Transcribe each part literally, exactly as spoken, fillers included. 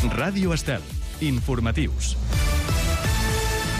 Ràdio Estel. Informatius.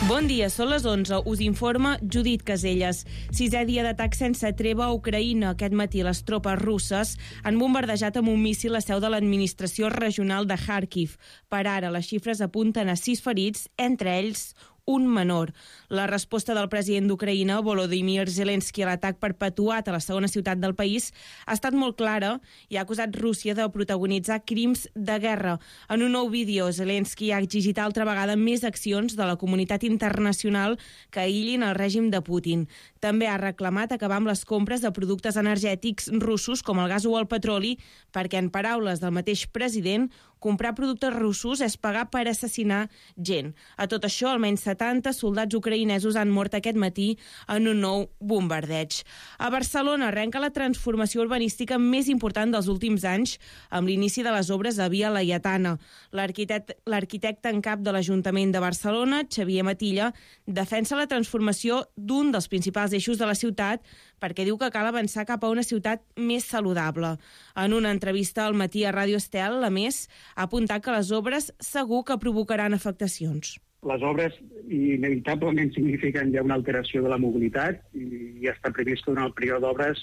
Bon dia, són les onze. Us informa Judit Caselles. Sisè dia d'atac sense treva a Ucraïna. Aquest matí les tropes russes han bombardejat amb un míssil la seu de l'administració regional de Kharkiv. Per ara, les xifres apunten a sis ferits, entre ells un menor. La resposta del president d'Ucraïna, Volodymyr Zelensky, a l'atac perpetuat a la segona ciutat del país ha estat molt clara i ha acusat Rússia de protagonitzar crims de guerra. En un nou vídeo, Zelensky ha exigit altra vegada més accions de la comunitat internacional que aïllin el règim de Putin. També ha reclamat acabar amb les compres de productes energètics russos com el gas o el petroli, perquè, en paraules del mateix president, comprar productes russos és pagar per assassinar gent. A tot això, almenys setanta soldats ucraïnesos han mort aquest matí en un nou bombardeig. A Barcelona arrenca la transformació urbanística més important dels últims anys amb l'inici de les obres a Via Laietana. L'arquitecte, l'arquitecte en cap de l'Ajuntament de Barcelona, Xavier Matilla, defensa la transformació d'un dels principals eixos de la ciutat perquè diu que cal avançar cap a una ciutat més saludable. En una entrevista al matí a Ràdio Estel, a més, ha apuntat que les obres segur que provocaran afectacions. Les obres inevitablement signifiquen ja una alteració de la mobilitat i ja està previst que durant el període d'obres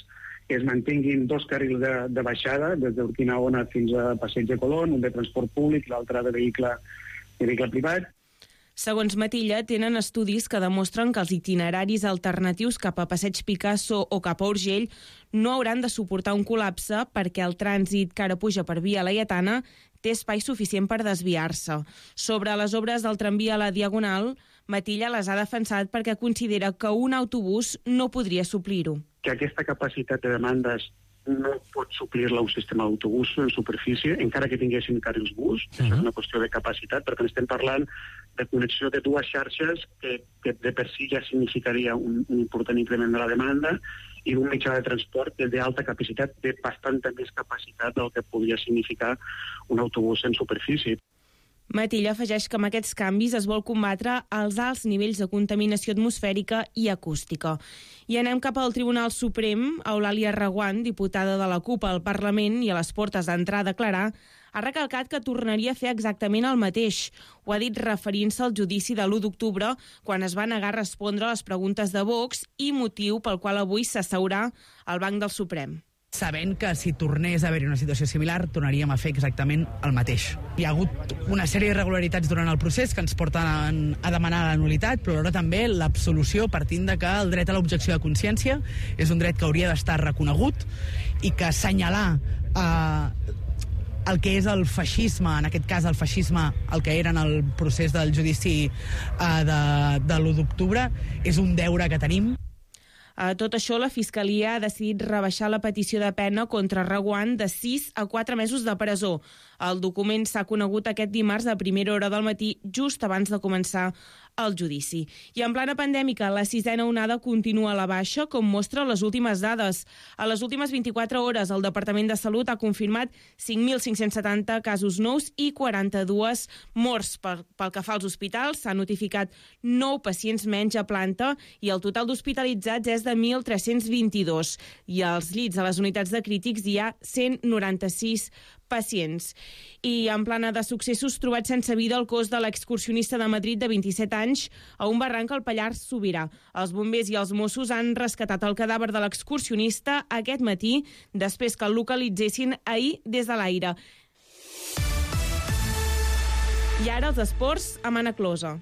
es mantinguin dos carrils de, de baixada, des d'Urquinaona fins a Passeig de Colón, un de transport públic, l'altre de vehicle, de vehicle privat. Segons Matilla, tenen estudis que demostren que els itineraris alternatius cap a Passeig Picasso o cap a Urgell no hauran de suportar un col·lapse perquè el trànsit que ara puja per Via Laietana té espai suficient per desviar-se. Sobre les obres del tramvia a la Diagonal, Matilla les ha defensat perquè considera que un autobús no podria suplir-ho. Que aquesta capacitat de demandes no pot suplir-la un sistema d'autobús en superfície, encara que tinguessin carrils bus. Uh-huh. Això és una qüestió de capacitat, perquè estem parlant de connexió de dues xarxes que, que de per si ja significaria un, un important increment de la demanda i un mitjà de transport d'alta capacitat, de bastanta més capacitat del que podria significar un autobús en superfície. Matilla afegeix que amb aquests canvis es vol combatre els alts nivells de contaminació atmosfèrica i acústica. I anem cap al Tribunal Suprem. Eulàlia Reguant, diputada de la CUP al Parlament i a les portes d'entrar a declarar, ha recalcat que tornaria a fer exactament el mateix. Ho ha dit referint-se al judici de l'u d'octubre, quan es va negar a respondre a les preguntes de Vox i motiu pel qual avui s'asseurà al banc del Suprem. Sabent que si tornés a haver-hi una situació similar, tornaríem a fer exactament el mateix. Hi ha hagut una sèrie d'irregularitats durant el procés que ens porten a demanar la nul·litat, però alhora també l'absolució, partint de que el dret a l'objecció de consciència és un dret que hauria d'estar reconegut i que assenyalar eh, el que és el feixisme, en aquest cas el feixisme, el que era en el procés del judici eh, de, de l'u d'octubre, és un deure que tenim. A tot això, la Fiscalia ha decidit rebaixar la petició de pena contra Reguant de sis a quatre mesos de presó. El document s'ha conegut aquest dimarts a primera hora del matí, just abans de començar el judici. I en plana pandèmica, la sisena onada continua a la baixa, com mostra les últimes dades. A les últimes vint-i-quatre hores, el Departament de Salut ha confirmat cinc mil cinc-cents setanta casos nous i quaranta-dues morts. Pel, pel que fa als hospitals, s'han notificat nou pacients menys a planta i el total d'hospitalitzats és de mil tres-cents vint-i-dos. I als llits a les unitats de crítics hi ha cent noranta-sis pacients. I en plana de successos, trobat sense vida el cos de l'excursionista de Madrid de vint-i-set anys a un barranc al Pallars Sobirà. Els bombers i els Mossos han rescatat el cadàver de l'excursionista aquest matí, després que el localitzessin ahir des de l'aire. I ara els esports amb Anna Closa.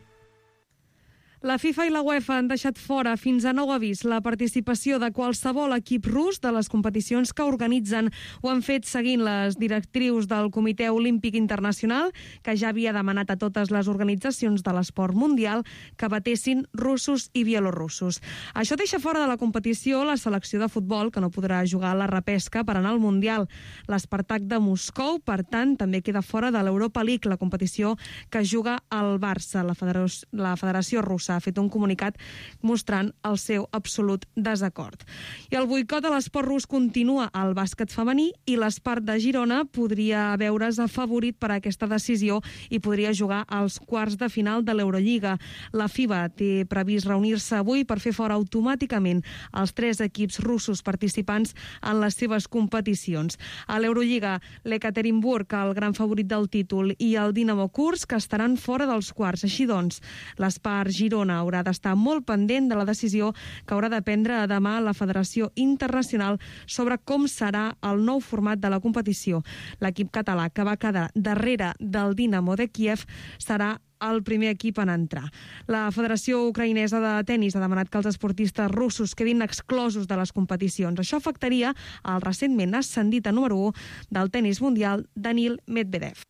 La FIFA i la UEFA han deixat fora fins a nou avís la participació de qualsevol equip rus de les competicions que organitzen. Ho han fet seguint les directrius del Comitè Olímpic Internacional, que ja havia demanat a totes les organitzacions de l'esport mundial que batessin russos i bielorussos. Això deixa fora de la competició la selecció de futbol, que no podrà jugar a la repesca per anar al Mundial. L'Spartak de Moscou, per tant, també queda fora de l'Europa League, la competició que juga al Barça, la Federació, la Federació Russa. russa ha fet un comunicat mostrant el seu absolut desacord. I el boicot a l'esport rus continua al bàsquet femení i l'Espart de Girona podria veure's afavorit per aquesta decisió i podria jugar als quarts de final de l'Eurolliga. La FIBA té previst reunir-se avui per fer fora automàticament els tres equips russos participants en les seves competicions. A l'Eurolliga, l'Ekaterinburg, el gran favorit del títol, i el Dinamo Kursk estaran fora dels quarts. Així doncs, l'Espart Girona haurà d'estar molt pendent de la decisió que haurà de prendre demà la Federació Internacional sobre com serà el nou format de la competició. L'equip català, que va quedar darrere del Dinamo de Kiev, serà el primer equip en entrar. La Federació Ucraïnesa de Tenis ha demanat que els esportistes russos quedin exclosos de les competicions. Això afectaria el recentment ascendit a número u del tenis mundial, Danil Medvedev.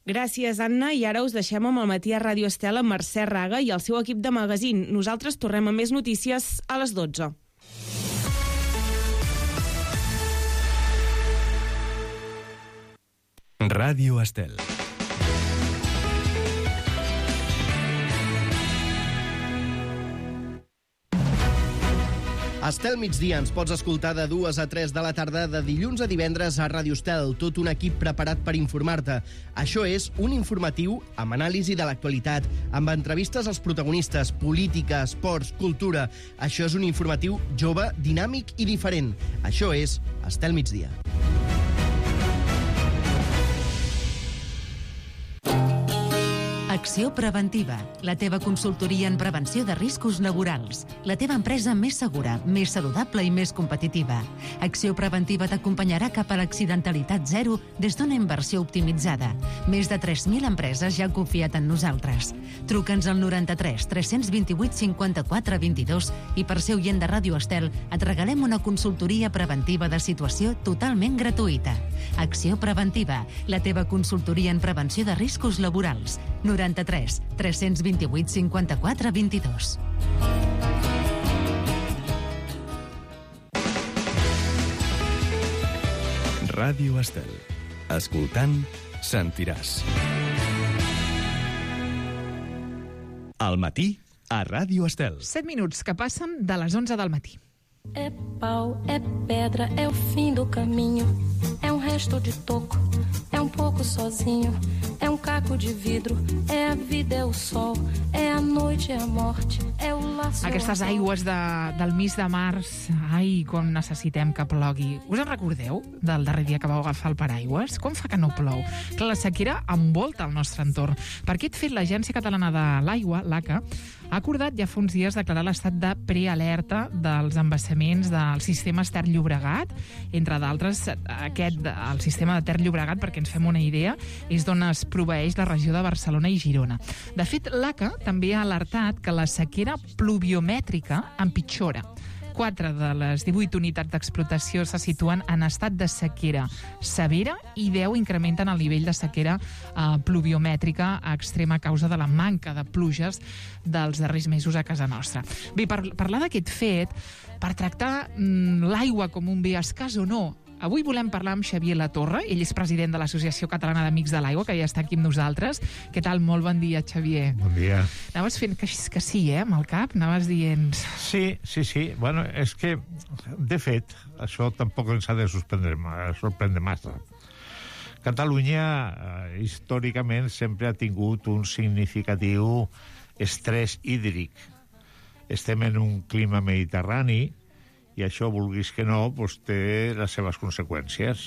Gràcies, Anna. I ara us deixem amb el matí a Ràdio Estel amb Mercè Raga i el seu equip de magazín. Nosaltres tornem amb més notícies a les dotze. Ràdio Estel. Estel migdia ens pots escoltar de dues a tres de la tarda de dilluns a divendres a Ràdio Estel, tot un equip preparat per informar-te. Això és un informatiu amb anàlisi de l'actualitat, amb entrevistes als protagonistes, política, esports, cultura. Això és un informatiu jove, dinàmic i diferent. Això és Estel migdia. Acció Preventiva, la teva consultoria en prevenció de riscos laborals. La teva empresa més segura, més saludable i més competitiva. Acció Preventiva t'acompanyarà cap a l'accidentalitat zero des d'una inversió optimitzada. Més de tres mil empreses ja han confiat en nosaltres. Truca'ns al noranta-tres tres cents vint-i-vuit cinquanta-quatre vint-i-dos i per ser oient de Ràdio Estel et regalem una consultoria preventiva de situació totalment gratuïta. Acció Preventiva, la teva consultoria en prevenció de riscos laborals. noranta-tres tres cents vint-i-vuit cinquanta-quatre vint-i-dos. Ràdio Estel. Escoltant, sentiràs. Al matí, a Ràdio Estel. set minuts que passen de les onze del matí. É pau, é pedra, é o fim do caminho. É um resto de toco, é um pouco sozinho. É um caco de vidro, é a vida, é o sol. É a noite, é a morte, é o laço. Aquestes aigües de, del mes de març, ai, com necessitem que plogui. Us en recordeu del darrer dia que vau agafar el paraigües? Com fa que no plou? Que la sequera envolta el nostre entorn. Per aquest fet, l'Agència Catalana de l'Aigua, l'A C A, ha acordat ja fa uns dies declarar l'estat de prealerta dels embassaments del sistema Ter-Llobregat, entre d'altres aquest, el sistema de Ter-Llobregat, perquè ens fem una idea, és d'on es proveeix la regió de Barcelona i Girona. De fet, l'A C A també ha alertat que la sequera pluviomètrica empitjora. Quatre de les divuit unitats d'explotació se situen en estat de sequera severa i deu incrementen el nivell de sequera eh, pluviomètrica a extrema causa de la manca de pluges dels darrers mesos a casa nostra. Bé, per parlar d'aquest fet, per tractar mm, l'aigua com un bé escàs o no, avui volem parlar amb Xavier Latorre. Ell és president de l'Associació Catalana d'Amics de l'Aigua, que ja està aquí amb nosaltres. Què tal? Molt bon dia, Xavier. Bon dia. Anaves fent que, que sí, eh, amb el cap? Anaves dient... Sí, sí, sí. Bueno, és que, de fet, això tampoc ens ha de sorprendre, sorprendre massa. Catalunya, eh, històricament, sempre ha tingut un significatiu estrès hídric. Estem en un clima mediterrani, i això, vulguis que no, doncs té les seves conseqüències.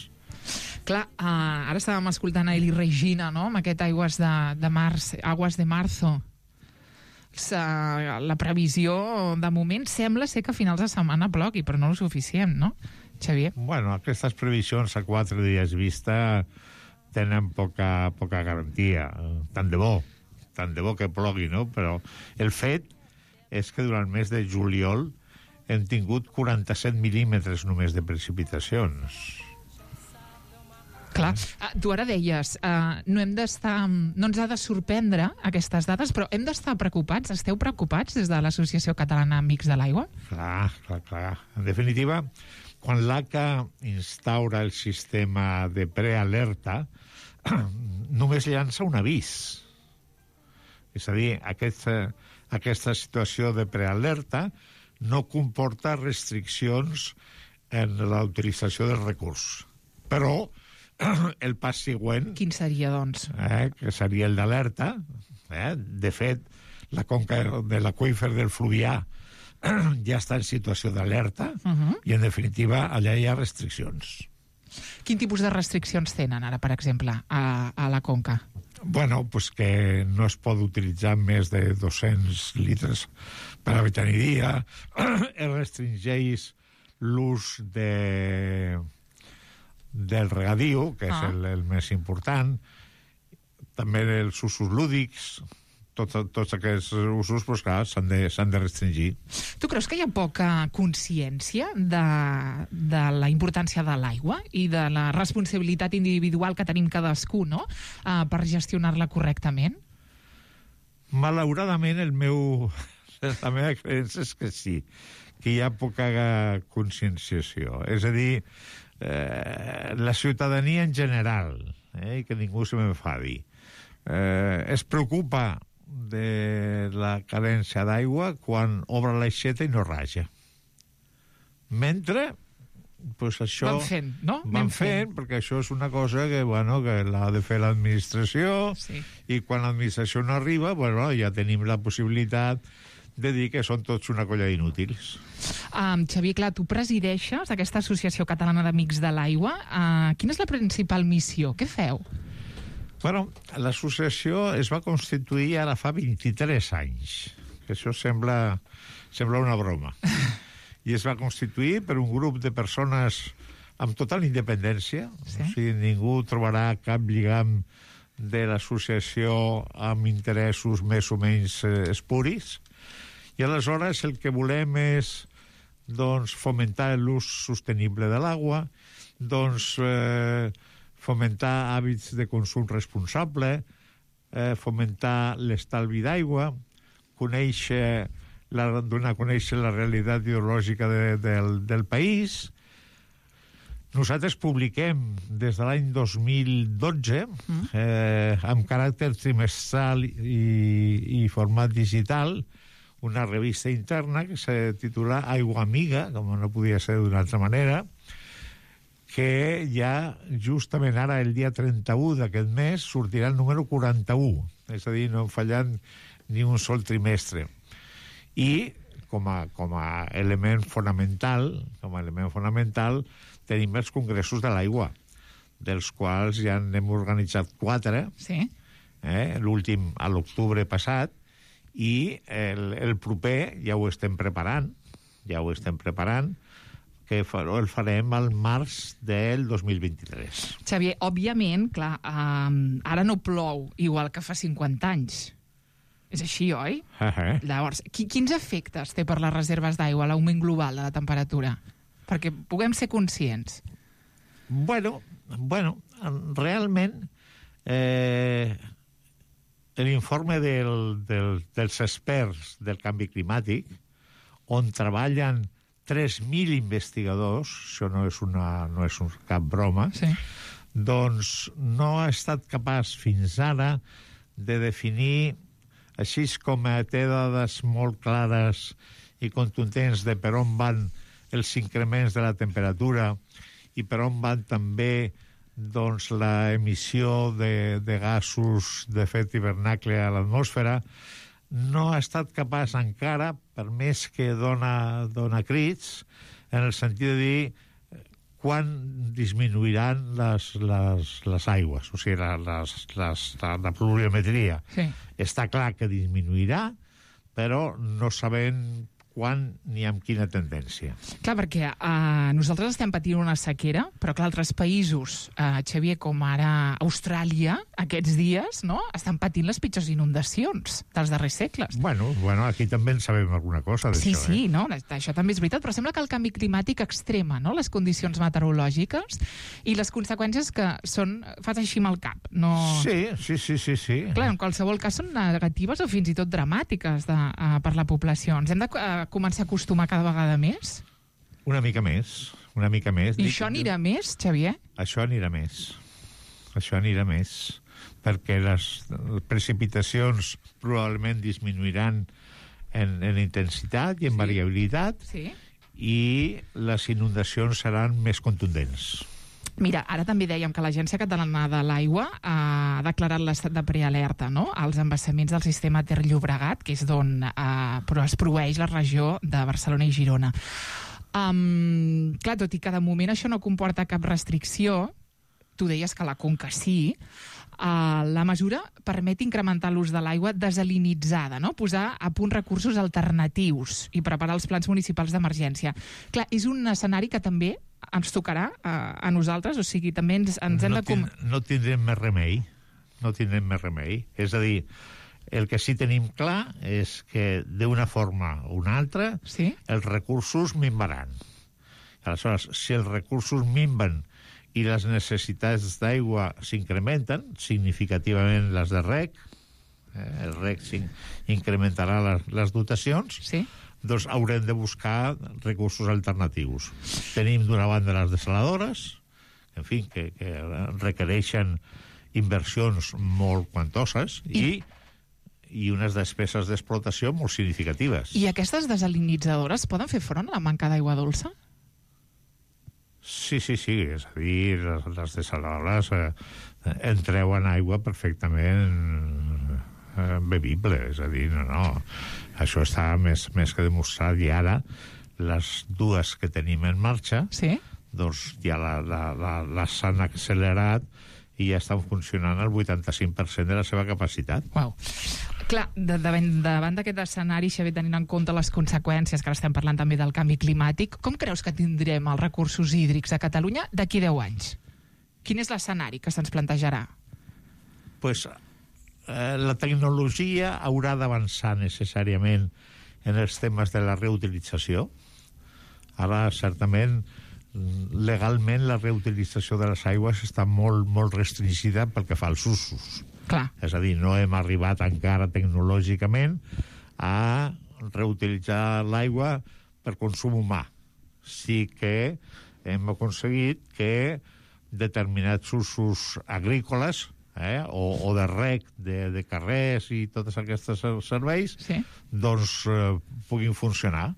Clar, uh, ara estàvem escoltant a Eli Regina, no?, amb aquest aigües de, de març, aguas de marzo. Uh, la previsió, de moment, sembla ser que a finals de setmana plogui, però no el suficient, no, Xavier? Bueno, aquestes previsions a quatre dies vista tenen poca, poca garantia. Tant de bo, tant de bo que plogui, no? Però el fet és que durant el mes de juliol hem tingut quaranta-set mil·límetres només de precipitacions. Clar, uh, tu ara deies, uh, no hem d'estar, no ens ha de sorprendre aquestes dades, però hem d'estar preocupats, esteu preocupats des de l'Associació Catalana Amics de l'Aigua? Clar, clar, clar. En definitiva, quan l'A C A instaura el sistema de prealerta, només llança un avís. És a dir, aquest, aquesta situació de prealerta no comporta restriccions en la utilització del recurs. Però el pas següent... Quin seria, doncs? Eh, que seria el d'alerta. Eh? De fet, la conca de l'aqüífer del Fluvià ja està en situació d'alerta uh-huh. i, en definitiva, allà hi ha restriccions. Quin tipus de restriccions tenen, ara, per exemple, a, a la conca? Bueno, pues que no es pot utilitzar més de dos-cents litres per habitant i dia. Es restringeix l'ús de... del regadiu, que és ah. el, el més important. També els usos lúdics... Tots, tots aquests usos, doncs, clar, s'han de, s'han de restringir. Tu creus que hi ha poca consciència de, de la importància de l'aigua i de la responsabilitat individual que tenim cadascú, no?, uh, per gestionar-la correctament? Malauradament, el meu, la meva creença és que sí, que hi ha poca conscienciació. És a dir, eh, la ciutadania en general, eh, que ningú se m'enfadi, eh, es preocupa de la carència d'aigua quan obre l'aixeta i no raja. Mentre, pues això... Van fent, no? Van fent, fent, perquè això és una cosa que, bueno, que l'ha de fer l'administració, sí. I quan l'administració no arriba, bueno, ja tenim la possibilitat de dir que són tots una colla d'inútils. Um, Xavier, clar, tu presideixes aquesta Associació Catalana d'Amics de l'Aigua. Uh, quina és la principal missió? Què feu? Bueno, l'associació es va constituir ara fa vint-i-tres anys, que això sembla, sembla una broma. I es va constituir per un grup de persones amb total independència, sí? O sigui, ningú trobarà cap lligam de l'associació amb interessos més o menys eh, espuris, i aleshores el que volem és, doncs, fomentar l'ús sostenible de l'aigua, doncs... Eh, fomentar hàbits de consum responsable, eh, fomentar l'estalvi d'aigua, conèixer la, donar a conèixer la realitat ideològica de, del, del país. Nosaltres publiquem des de l'any dos mil dotze, eh, amb caràcter trimestral i, i format digital, una revista interna que se titula Aigua Amiga, com no podia ser d'una altra manera, que ja justament ara, el dia trenta-u d'aquest mes, sortirà el número quaranta-u, és a dir, no hem fallat ni un sol trimestre. I com a, com a element fonamental, com a element fonamental, tenim els congressos de l'aigua, dels quals ja n'hem organitzat quatre, sí. eh, l'últim a l'octubre passat, i el, el proper ja ho estem preparant, ja ho estem preparant, que el farem al març del dos mil vint-i-tres. Xavier, òbviament, clar, um, ara no plou igual que fa cinquanta anys. És així, oi? Uh-huh. Llavors, qui, quins efectes té per les reserves d'aigua l'augment global de la temperatura? Perquè puguem ser conscients. Bueno, bueno realment, eh, l'informe del, del, dels experts del canvi climàtic, on treballen tres mil investigadors, això no és, una, no és un, cap broma, sí. Doncs no ha estat capaç fins ara de definir, així com té dades molt clares i contundents de per on van els increments de la temperatura i per on van també doncs, la emissió de, de gasos d'efecte hivernacle a l'atmosfera, no ha estat capaç encara, per més que dona, dona crits, en el sentit de dir quan disminuiran les, les, les aigües, o sigui, la, les, les, la, la pluviometria. Sí. Està clar que disminuirà, però no sabem quan ni amb quina tendència. Clar, perquè uh, nosaltres estem patint una sequera, però clar, altres països, uh, Xavier, com ara Austràlia, aquests dies, no?, estan patint les pitjors inundacions dels darrers segles. Bueno, bueno, aquí també en sabem alguna cosa d'això. Sí, sí, eh? no? Això també és veritat, però sembla que el canvi climàtic extrema, no?, les condicions meteorològiques i les conseqüències que són... Fas així amb el cap, no... Sí, sí, sí, sí, sí. Clar, en qualsevol cas són negatives o fins i tot dramàtiques de, uh, per la població. Ens hem de uh, començar a acostumar cada vegada més? Una mica més, una mica més. I això anirà més, Xavier? Això anirà més. Això anirà més, perquè les precipitacions probablement disminuiran en, en intensitat i en Sí. variabilitat, Sí. i les inundacions seran més contundents. Mira, ara també dèiem que l'Agència Catalana de l'Aigua ha declarat l'estat de prealerta, no?, als embassaments del sistema Ter Llobregat, que és d'on eh, però es proveeix la regió de Barcelona i Girona. Um, clar, tot i que de moment això no comporta cap restricció, tu deies que la Conca sí, uh, la mesura permet incrementar l'ús de l'aigua desalinitzada, no?, posar a punt recursos alternatius i preparar els plans municipals d'emergència. Clar, és un escenari que també ens tocarà uh, a nosaltres, o sigui, també ens, ens hem no de... Com... Tin, no tindrem més remei, no tindrem més remei. És a dir, el que sí tenim clar és que d'una forma o una altra sí? els recursos minvaran. Aleshores, si els recursos minven i les necessitats d'aigua s'incrementen, significativament les de reg, eh, el reg incrementarà les, les dotacions, sí? doncs haurem de buscar recursos alternatius. Tenim d'una banda les desaladores, en fi, que, que requereixen inversions molt quantoses i, i, i unes despeses d'explotació molt significatives. I aquestes desalinitzadores poden fer front a la manca d'aigua dolça? Sí, sí, sí, és a dir, les, les desaladores eh, entreuen aigua perfectament eh, bevible, és a dir, no, no, això està més, més que demostrat, i ara les dues que tenim en marxa, sí? doncs ja la, la, la, les han accelerat i ja estan funcionant al vuitanta-cinc per cent de la seva capacitat. Uau. Clar, de, davant, davant d'aquest escenari, Xavier, tenint en compte les conseqüències, que ara estem parlant també del canvi climàtic, com creus que tindrem els recursos hídrics a Catalunya d'aquí deu anys? Quin és l'escenari que se'ns plantejarà? Pues, eh, la tecnologia haurà d'avançar necessàriament en els temes de la reutilització. Ara, certament, legalment la reutilització de les aigües està molt, molt restringida pel que fa als usos. Clar. És a dir, no hem arribat encara tecnològicament a reutilitzar l'aigua per consum humà. Sí que hem aconseguit que determinats usos agrícoles eh, o, o de reg de, de carrers i tots aquests serveis sí? doncs eh, puguin funcionar.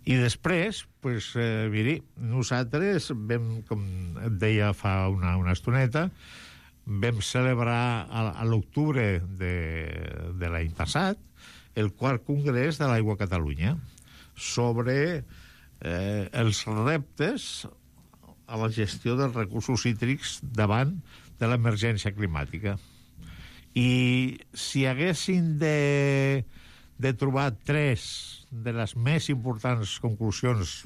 I després, pues, eh, miri, nosaltres vam, com et deia fa una, una estoneta, vam celebrar a, a l'octubre de, de l'any passat el quart congrés de l'Aigua a Catalunya sobre eh, els reptes a la gestió dels recursos hídrics davant de l'emergència climàtica. I si haguessin de, de trobar tres de les més importants conclusions,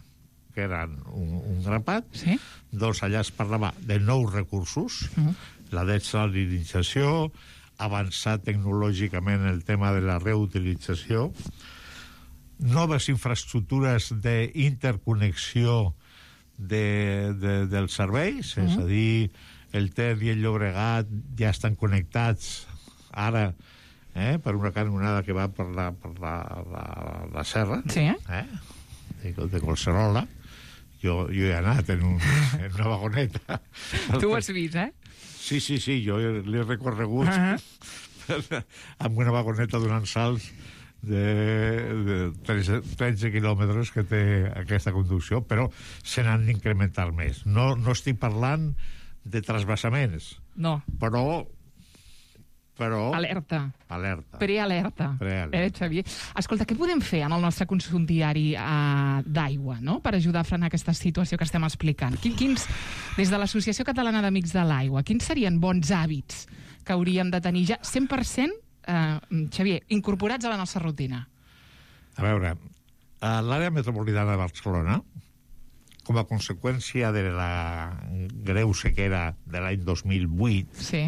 que eren un, un grapat, sí? doncs allà es parlava de nous recursos, uh-huh. la desalinització, avançar tecnològicament el tema de la reutilització, noves infraestructures d'interconnexió de, de, dels serveis, uh-huh. és a dir, el Ter i el Llobregat ja estan connectats ara eh, per una canonada que va per la, per la, la, la serra, sí? eh, de, de Collserola. Jo, jo he anat en, un, en una vagoneta. Tu ho has vist, eh? Sí, sí, sí, jo l'he recorregut uh-huh. amb una vagoneta donant salts de, de tretze, tretze quilòmetres que té aquesta conducció, però se n'han d'incrementar més. No, no estic parlant de trasbassaments. No. Però... però... Alerta. Alerta. Prealerta. Prealerta. Eh, Xavier? Escolta, què podem fer en el nostre consum diari uh, d'aigua, no?, per ajudar a frenar aquesta situació que estem explicant? Quins, des de l'Associació Catalana d'Amics de l'Aigua, quins serien bons hàbits que hauríem de tenir ja cent per cent, uh, Xavier, incorporats a la nostra rutina? A veure, a l'àrea metropolitana de Barcelona, com a conseqüència de la greu sequera de l'any dos mil vuit, sí.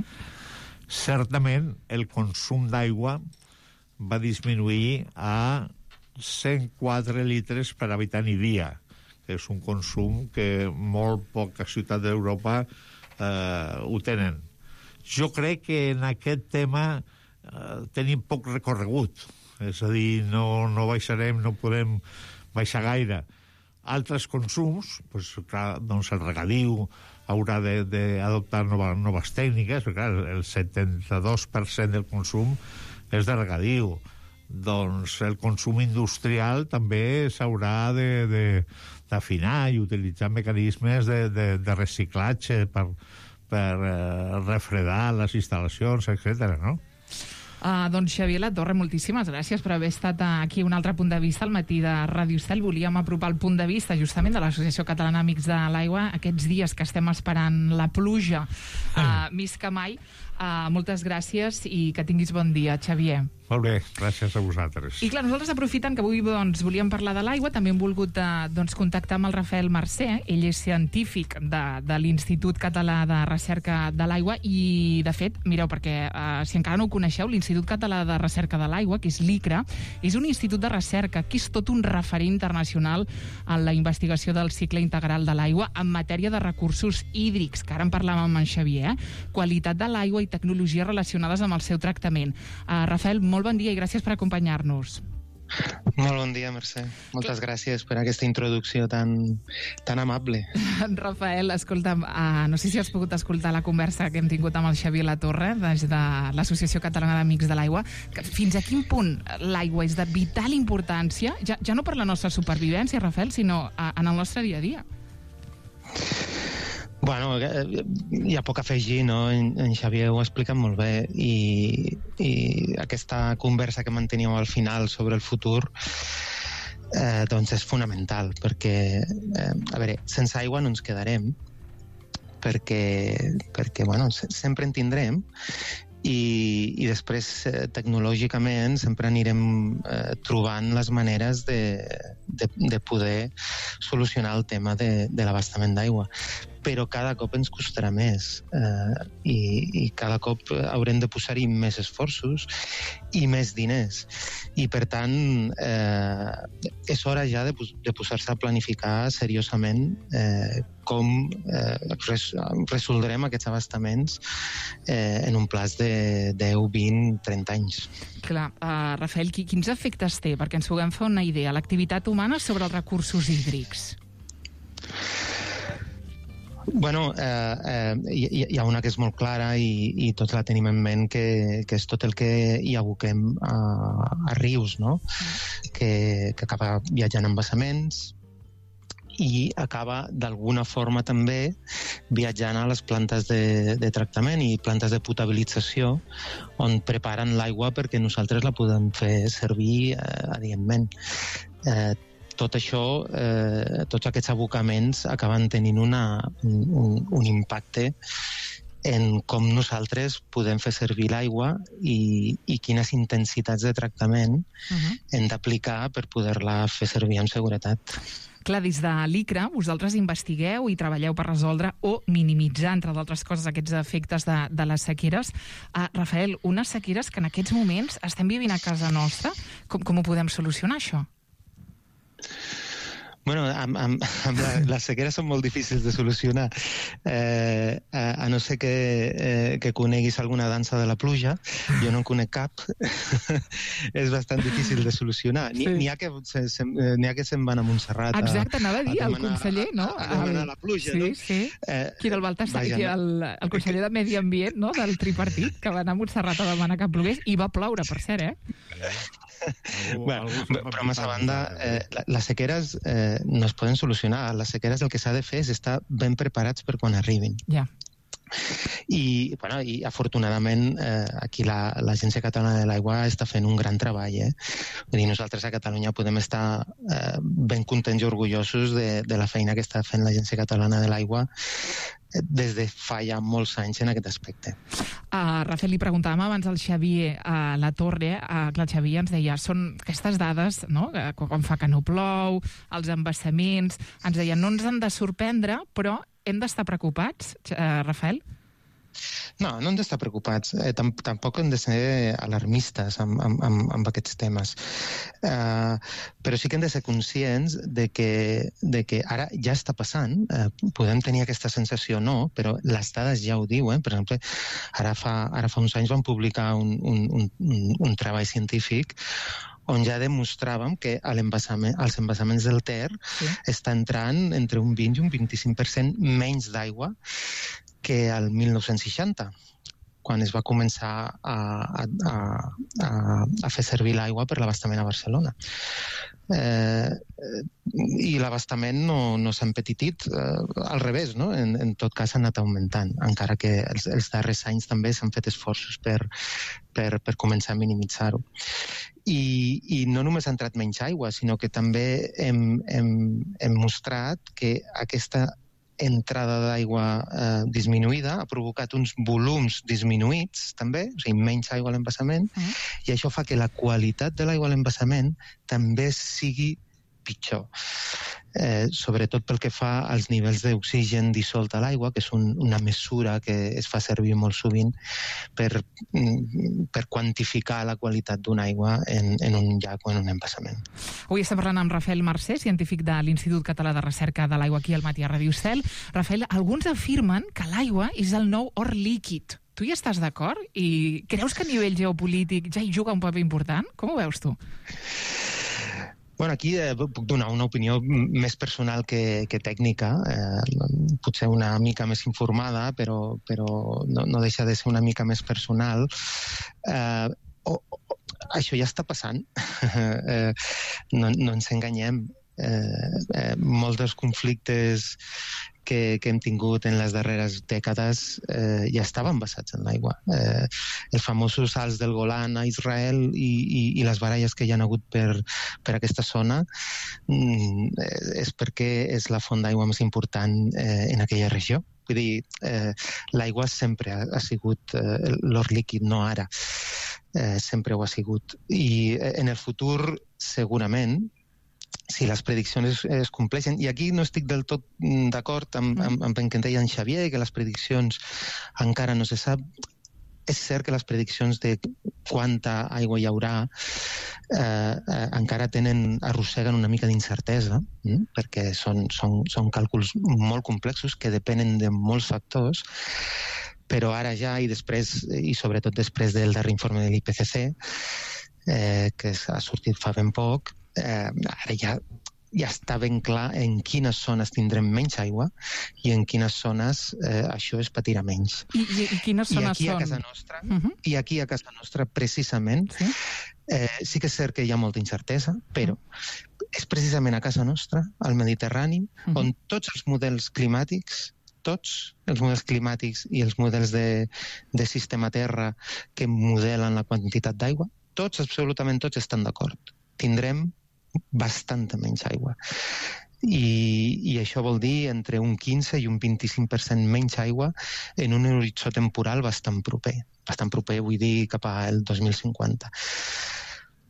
certament el consum d'aigua va disminuir a cent quatre litres per habitant i dia, que és un consum que molt poques ciutats d'Europa eh, ho tenen. Jo crec que en aquest tema eh, tenim poc recorregut, és a dir, no, no baixarem, no podem baixar gaire. Altres consums, pues, clar, doncs el regadiu haurà d'adoptar nova, noves tècniques, perquè clar, el setanta-dos per cent del consum és de regadiu. doncs el consum industrial també s'haurà de, de, d'afinar i utilitzar mecanismes de, de, de reciclatge per, per eh, refredar les instal·lacions, etcètera, no? Uh, doncs Xavier Latorre, moltíssimes gràcies per haver estat aquí un altre punt de vista al matí de Ràdio Estel. Volíem apropar el punt de vista justament de l'Associació Catalana Amics de l'Aigua aquests dies que estem esperant la pluja uh, més que mai. Uh, moltes gràcies i que tinguis bon dia, Xavier. Molt bé, gràcies a vosaltres. I clar, nosaltres aprofitant que avui doncs, volíem parlar de l'aigua, també hem volgut uh, doncs, contactar amb el Rafael Mercè. Ell és científic de, de l'Institut Català de Recerca de l'Aigua i, de fet, mireu, perquè uh, si encara no ho coneixeu, l'Institut Català de Recerca de l'Aigua, que és l'ICRA, és un institut de recerca que és tot un referent internacional en la investigació del cicle integral de l'aigua en matèria de recursos hídrics, que ara en parlàvem amb en Xavier, eh? Qualitat de l'aigua i tecnologies relacionades amb el seu tractament. Uh, Rafael, molt bon dia i gràcies per acompanyar-nos. Molt bon dia, Mercè. Moltes gràcies per aquesta introducció tan, tan amable. Rafael, escolta'm, uh, no sé si has pogut escoltar la conversa que hem tingut amb el Xavier Latorre des de l'Associació Catalana d'Amics de l'Aigua. Fins a quin punt l'aigua és de vital importància, ja, ja no per la nostra supervivència, Rafael, sinó uh, en el nostre dia a dia? Bueno, hi ha poc a afegir, no? En, en Xavier ho ha explicat molt bé i, i aquesta conversa que manteníeu al final sobre el futur eh, doncs és fonamental perquè, eh, a veure, sense aigua no ens quedarem perquè, perquè bueno, sempre en tindrem i, i després eh, tecnològicament sempre anirem eh, trobant les maneres de, de, de poder solucionar el tema de, de l'abastament d'aigua, però cada cop ens costarà més eh, i, i cada cop haurem de posar-hi més esforços i més diners i per tant eh, és hora ja de, de posar-se a planificar seriosament eh, com eh, res, resoldrem aquests abastaments eh, en un plaç de deu, vint, trenta anys. Clar, uh, Rafael, quins efectes té? Perquè ens puguem fer una idea, l'activitat humana sobre els recursos hídrics. Bueno, eh, eh, hi, hi ha una que és molt clara i, i tots la tenim en ment, que, que és tot el que hi aboquem a, a rius, no? Que, que acaba viatjant en vessaments i acaba d'alguna forma també viatjant a les plantes de, de tractament i plantes de potabilització on preparen l'aigua perquè nosaltres la podem fer servir eh, adientment. Eh, tot això, eh, tots aquests abocaments acaben tenint una, un, un impacte en com nosaltres podem fer servir l'aigua i, i quines intensitats de tractament uh-huh. hem d'aplicar per poder-la fer servir amb seguretat. Clar, des de l'ICRA vosaltres investigueu i treballeu per resoldre o minimitzar, entre d'altres coses, aquests efectes de, de les sequeres. Uh, Rafael, unes sequeres que en aquests moments estem vivint a casa nostra, com, com ho podem solucionar, això? Bueno, amb, amb, amb la, les sequeres són molt difícils de solucionar. Eh, a, a no ser que, eh, que coneguis alguna dansa de la pluja, jo no en conec cap, és bastant difícil de solucionar. N'hi sí. ha que se, se, n'hi ha que se'n van a Montserrat. Exacte, anava a dir, el conseller, no? A, a demanar la pluja, sí, no? Sí, eh, qui era el Baltasar, qui era el, el conseller de Medi Ambient, no?, del tripartit, que va anar a Montserrat a demanar que plogués, i va ploure, per cert, eh? Algú, bueno, algú però més a banda, eh, les sequeres eh, no es poden solucionar. Les sequeres el que s'ha de fer és estar ben preparats per quan arribin. Ja. I, bueno, i afortunadament eh, aquí la, l'Agència Catalana de l'Aigua està fent un gran treball. Eh? Vull dir, nosaltres a Catalunya podem estar eh, ben contents i orgullosos de, de la feina que està fent l'Agència Catalana de l'Aigua des de fa ja molts anys en aquest aspecte. Uh, Rafael, li preguntàvem abans al Xavier a la Torre, uh, que el Xavier ens deia, són aquestes dades, no?, quan fa que no plou, els embassaments, ens deia, no ens han de sorprendre, però hem d'estar preocupats, uh, Rafael? No, no hem d'estar preocupats. Eh, tam tampoc hem de ser alarmistes amb, amb, amb, amb aquests temes. Eh, però sí que hem de ser conscients de que, de que ara ja està passant. Eh, podem tenir aquesta sensació o no, però les dades ja ho diuen. Per exemple, ara fa, ara fa uns anys vam publicar un, un, un, un treball científic on ja demostràvem que l'embassament, els embassaments del Ter sí. està entrant entre un vint i un vint-i-cinc per cent menys d'aigua que al mil nou-cents seixanta. quan es va començar a, a, a, a fer servir l'aigua per l'abastament a Barcelona. Eh, I l'abastament no, no s'ha empetitit, eh, al revés, no? En, en tot cas s'ha anat augmentant, encara que els, els darrers anys també s'han fet esforços per, per, per començar a minimitzar-ho. I, I no només ha entrat menys aigua, sinó que també hem, hem, hem mostrat que aquesta entrada d'aigua eh, disminuïda ha provocat uns volums disminuïts també, o sigui, menys aigua a l'embassament, uh-huh. i això fa que la qualitat de l'aigua a l'embassament també sigui pitjor. Eh, sobretot pel que fa als nivells d'oxigen dissolt a l'aigua, que és un, una mesura que es fa servir molt sovint per, per quantificar la qualitat d'una aigua en, en un llac o en un embassament. Avui estem parlant amb Rafael Mercè, científic de l'Institut Català de Recerca de l'Aigua aquí al Matí a Ràdio Estel. Rafael, alguns afirmen que l'aigua és el nou or líquid. Tu hi estàs d'acord? I creus que a nivell geopolític ja hi juga un paper important? Com ho veus tu? Bueno, aquí eh, puc donar una opinió més personal que, que tècnica, eh, potser una mica més informada, però, però no, no deixa de ser una mica més personal. Eh, oh, oh, això ja està passant, eh, no, no ens enganyem. Eh, eh, molts dels conflictes que, que hem tingut en les darreres dècades eh, ja estaven basats en l'aigua. Eh, els famosos salts del Golan a Israel i, i, i les baralles que hi ha hagut per, per aquesta zona mm, és perquè és la font d'aigua més important eh, en aquella regió. Vull dir, eh, l'aigua sempre ha, ha sigut eh, l'or líquid, no ara. Eh, sempre ho ha sigut. I eh, en el futur, segurament, si les prediccions es, es compleixen, i aquí no estic del tot d'acord amb, amb, amb el que deia en Xavier, que les prediccions encara no se sap. És cert que les prediccions de quanta aigua hi haurà eh, eh, encara tenen, arrosseguen una mica d'incertesa, eh, perquè són, són, són càlculs molt complexos que depenen de molts factors, però ara ja, i després, i sobretot després del darrer informe de l'I P C C, eh, que ha sortit fa ben poc, Eh, ara ja, ja està ben clar en quines zones tindrem menys aigua i en quines zones eh, això es patirà menys. I, i, i quines zones I aquí són? A casa nostra, uh-huh. I aquí a casa nostra, precisament, sí? Eh, sí que és cert que hi ha molta incertesa, però uh-huh. és precisament a casa nostra, al Mediterrani, uh-huh. on tots els models climàtics tots els models climàtics i els models de, de sistema terra que modelen la quantitat d'aigua, tots, absolutament tots, estan d'acord. Tindrem bastanta menys aigua. I, i això vol dir entre un quinze i un vint-i-cinc per cent menys aigua en un horitzó temporal bastant proper. Bastant proper, vull dir, cap al dos mil cinquanta.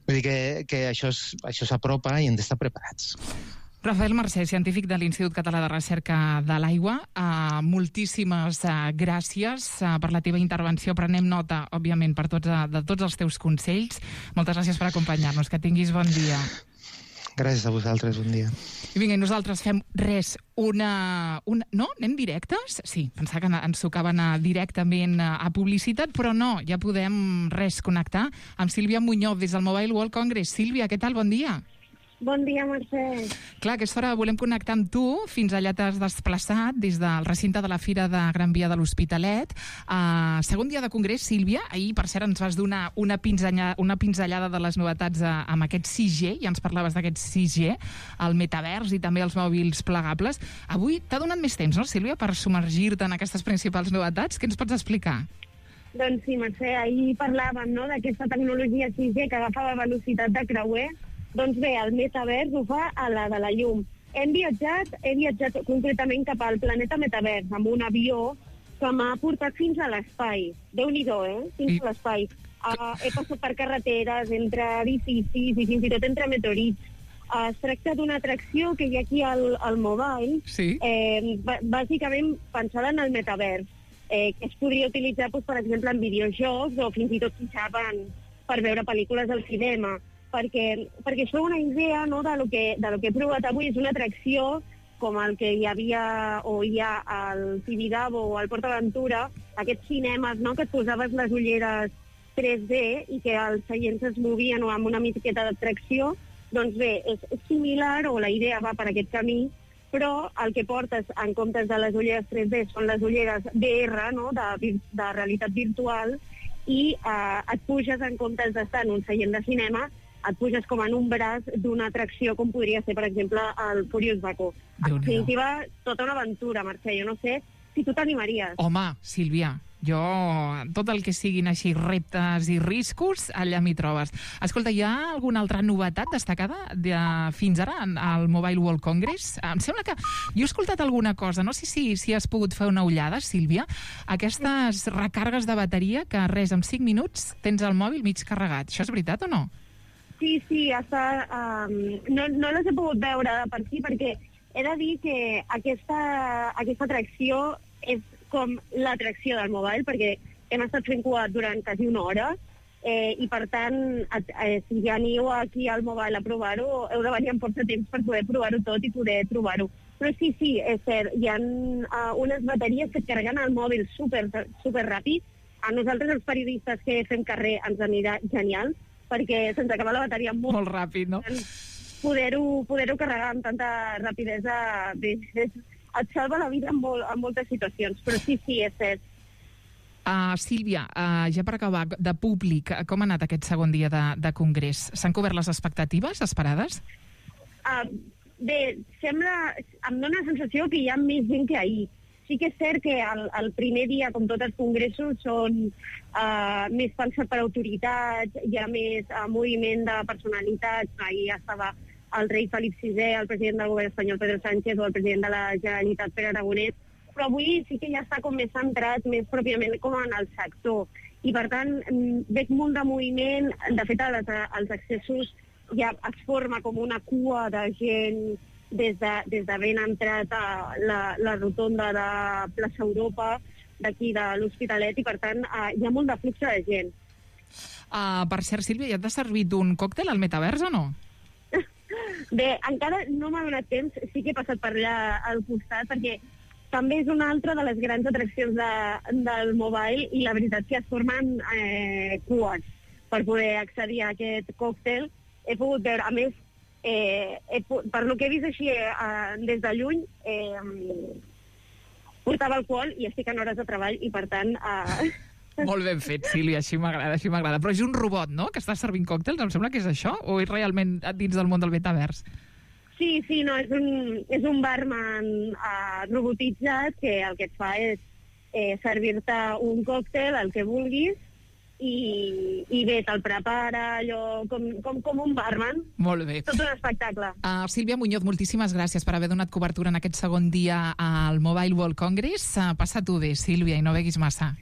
Vull dir que, que això s'apropa i hem d'estar preparats. Rafael Mercè, científic de l'Institut Català de Recerca de l'Aigua, uh, moltíssimes uh, gràcies uh, per la teva intervenció. Prenem nota, òbviament, per tots, uh, de tots els teus consells. Moltes gràcies per acompanyar-nos. Que tinguis bon dia. Gràcies a vosaltres, un dia. I vinga, i nosaltres fem res, una... una... No? Anem directes? Sí, pensava que ens tocava anar directament a publicitat, però no, ja podem res connectar amb Sílvia Muñoz des del Mobile World Congress. Sílvia, què tal? Bon dia. Bon dia, Mercè. Clar, a aquesta hora volem connectar amb tu. Fins allà t'has desplaçat des del recinte de la Fira de Gran Via de l'Hospitalet. Uh, segon dia de congrés, Sílvia. Ahir, per cert, ens vas donar una pinzellada, una pinzellada de les novetats uh, amb aquest sis G. Ja ens parlaves d'aquest sis G, el metavers i també els mòbils plegables. Avui t'ha donat més temps, no, Sílvia, per submergir-te en aquestes principals novetats? Què ens pots explicar? Doncs sí, Mercè, ahir parlàvem, no?, d'aquesta tecnologia sis G que agafava velocitat de creuer. Doncs bé, el metavers ho fa a la de la llum. Hem viatjat, he viatjat concretament cap al planeta metavers amb un avió que m'ha portat fins a l'espai. Déu-n'hi-do, eh? Fins a l'espai. Uh, he passat per carreteres, entre edificis i fins i tot entre meteorits. Uh, es tracta d'una atracció que hi ha aquí al, al mobile, sí. eh, bàsicament pensada en el metavers, eh, que es podria utilitzar, doncs, per exemple, en videojocs o fins i tot fixaven per veure pel·lícules al cinema. Perquè, perquè això és una idea, no, de lo que, de lo que he provat avui. És una atracció com el que hi havia o hi ha al Tibidabo o al Port Aventura, aquests cinemes, no?, que et posaves les ulleres tres D i que els seients es movien o amb una miqueta d'atracció. Doncs bé, és, és similar, o la idea va per aquest camí, però el que portes en comptes de les ulleres tres D són les ulleres V R, no?, de, de realitat virtual, i eh, et puges, en comptes d'estar en un seient de cinema, et puges com en un braç d'una atracció com podria ser, per exemple, el Furious Baku. En definitiva, tota una aventura, Mercè. Jo no sé si tu t'animaries. Home, Sílvia, jo, tot el que siguin així reptes i riscos, allà m'hi trobes. Escolta, hi ha alguna altra novetat destacada de, fins ara al Mobile World Congress? Em sembla que jo he escoltat alguna cosa, no sé si, si has pogut fer una ullada, Sílvia, aquestes recàrregues de bateria que res, en cinc minuts tens el mòbil mig carregat. Això és veritat o no? Sí, sí, està, um, no, no les he pogut veure per si, perquè he de dir que aquesta, aquesta atracció és com l'atracció del mobile, perquè hem estat fent cua durant quasi una hora, eh, i per tant, eh, si ja aniu aquí al mobile a provar-ho, heu de venir amb força temps per poder provar-ho tot i poder trobar-ho. Però sí, sí, és cert, hi ha uh, unes bateries que et carreguen el mòbil super, super ràpid. A nosaltres, els periodistes que fem carrer, ens anirà genial, perquè se'ns acaba la bateria molt, molt ràpid, no? Poder-ho poder-ho carregar amb tanta rapidesa bé, és, et salva la vida en, molt, en moltes situacions, però sí, sí, és cert. Uh, Sílvia, uh, ja per acabar, de públic, com ha anat aquest segon dia de, de congrés? S'han cobert les expectatives esperades? Uh, bé, sembla, em dóna la sensació que hi ha més gent que ahir. Sí que és cert que el, el primer dia, com tots els congressos, són uh, més pensat per autoritats, hi ha més uh, moviment de personalitats. Ahir estava el rei Felip sisè, el president del govern espanyol Pedro Sánchez o el president de la Generalitat Pere Aragonès, però avui sí que ja està com més centrat, més pròpiament com en el sector. I per tant, veig molt de moviment. De fet, als, als accessos ja es forma com una cua de gent des de, des de ben entrat a la, la rotonda de Plaça Europa, d'aquí de l'Hospitalet, i per tant uh, hi ha molt de flux de gent. Uh, per cert, Sílvia, ja t'has servit un còctel al Metavers o no? Bé, encara no m'ha donat temps, sí que he passat per allà al costat, perquè també és una altra de les grans atraccions de, del mobile, i la veritat que es formen eh, cues per poder accedir a aquest còctel. He pogut veure, a més, Eh, eh, per lo que he vist així eh, des de lluny, eh, portava alcohol i estic en hores de treball i per tant... Eh... Molt ben fet, Sílvia, així m'agrada, així m'agrada. Però és un robot, no?, que està servint còctels, em sembla que és això, o és realment dins del món del metavers? Sí, sí, no, és un, és un barman eh, robotitzat que el que et fa és eh, servir-te un còctel, el que vulguis, I, i bé, te'l prepara allò com, com, com un barman. Molt bé. Tot un espectacle. Uh, Sílvia Muñoz, moltíssimes gràcies per haver donat cobertura en aquest segon dia al Mobile World Congress. Uh, Passa-t'ho bé, Sílvia, i no beguis massa.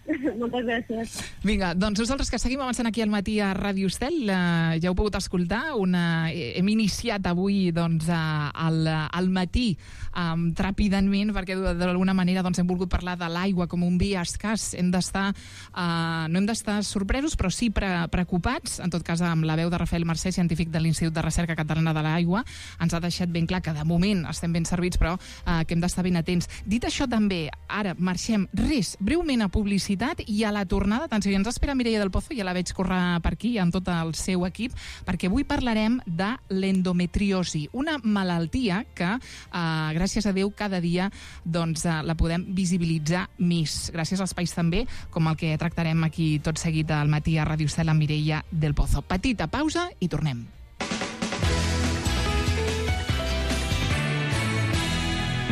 Moltes gràcies. Vinga, doncs nosaltres que seguim avançant aquí al matí a Ràdio Estel, eh, ja heu pogut escoltar, una, hem iniciat avui doncs, al, al matí um, tràpidament, perquè d'alguna manera doncs, hem volgut parlar de l'aigua com un bé escàs. Hem d'estar, uh, no hem d'estar sorpresos, però sí pre preocupats, en tot cas amb la veu de Rafael Mercè, científic de l'Institut de Recerca Catalana de l'Aigua, ens ha deixat ben clar que de moment estem ben servits, però uh, que hem d'estar ben atents. Dit això també, ara marxem res, breument a publicitat, i a la tornada, atenció, ja ens espera Mireia del Pozo, ja la veig córrer per aquí amb tot el seu equip, perquè avui parlarem de l'endometriosi, una malaltia que, eh, gràcies a Déu, cada dia doncs, eh, la podem visibilitzar més, gràcies a espais també, com el que tractarem aquí tot seguit al matí a Ràdio Estel amb Mireia del Pozo. Petita pausa i tornem.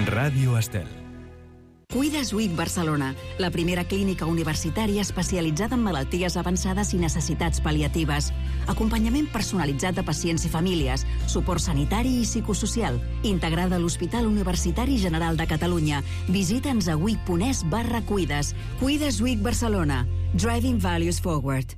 Ràdio Estel. Cuides U I C Barcelona, la primera clínica universitària especialitzada en malalties avançades i necessitats pal·liatives. Acompanyament personalitzat de pacients i famílies, suport sanitari i psicosocial, integrada a l'Hospital Universitari General de Catalunya. Visita'ns a uic.es barra cuides. Cuides U I C Barcelona. Driving Values Forward.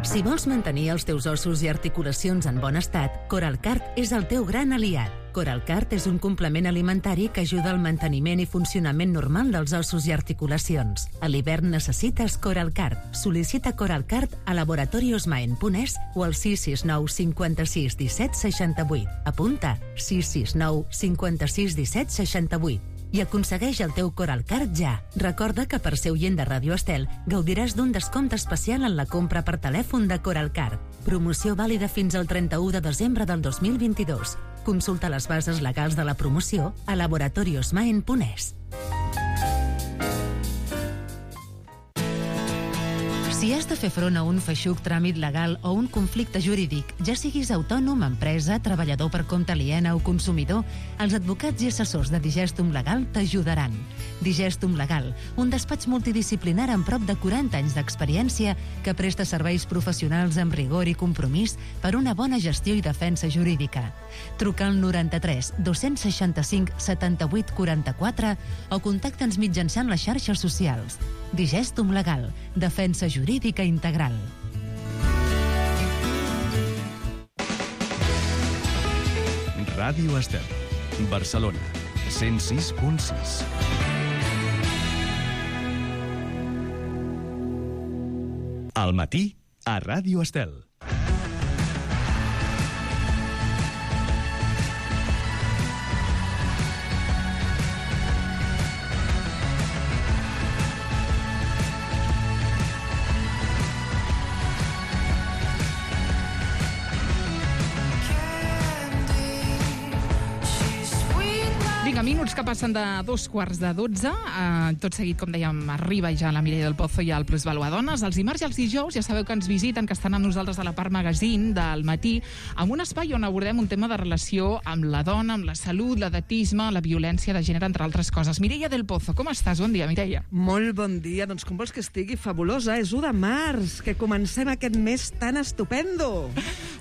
Si vols mantenir els teus ossos i articulacions en bon estat, Coralcart és el teu gran aliat. Coralcart és un complement alimentari que ajuda al manteniment i funcionament normal dels ossos i articulacions. A l'hivern necessites Coralcart. Sol·licita Coralcart a laboratoriosmaen punt es o al sis sis nou cinquanta-sis disset seixanta-vuit. Apunta sis sis nou cinquanta-sis disset seixanta-vuit. i aconsegueix el teu Coralcard ja. Recorda que per ser oient de Ràdio Estel gaudiràs d'un descompte especial en la compra per telèfon de Coralcard. Promoció vàlida fins al trenta-u de desembre del dos mil vint-i-dos. Consulta les bases legals de la promoció a laboratoriosmaen punt es. Si has de fer front a un feixuc tràmit legal o un conflicte jurídic, ja siguis autònom, empresa, treballador per compte aliena o consumidor, els advocats i assessors de Digestum Legal t'ajudaran. Digestum Legal, un despatx multidisciplinar amb prop de quaranta anys d'experiència que presta serveis professionals amb rigor i compromís per una bona gestió i defensa jurídica. Truca al noranta-tres dos-cents seixanta-cinc setanta-vuit quaranta-quatre o contacta'ns mitjançant les xarxes socials. Digestum Legal, defensa jurídica integral. Ràdio Estel, Barcelona, cent sis punt sis. Al matí, a Ràdio Estel. Minuts que passen de dos quarts de dotze. Eh, tot seguit, com dèiem, arriba ja la Mireia del Pozo i el Plusvalua Dones. Els dimarts i els dijous ja sabeu que ens visiten, que estan amb nosaltres a la part magazine del matí, amb un espai on abordem un tema de relació amb la dona, amb la salut, l'edatisme, la violència de gènere, entre altres coses. Mireia del Pozo, com estàs? Bon dia, Mireia. Molt bon dia. Doncs com vols que estigui? Fabulosa. És u de març, que comencem aquest mes tan estupendo.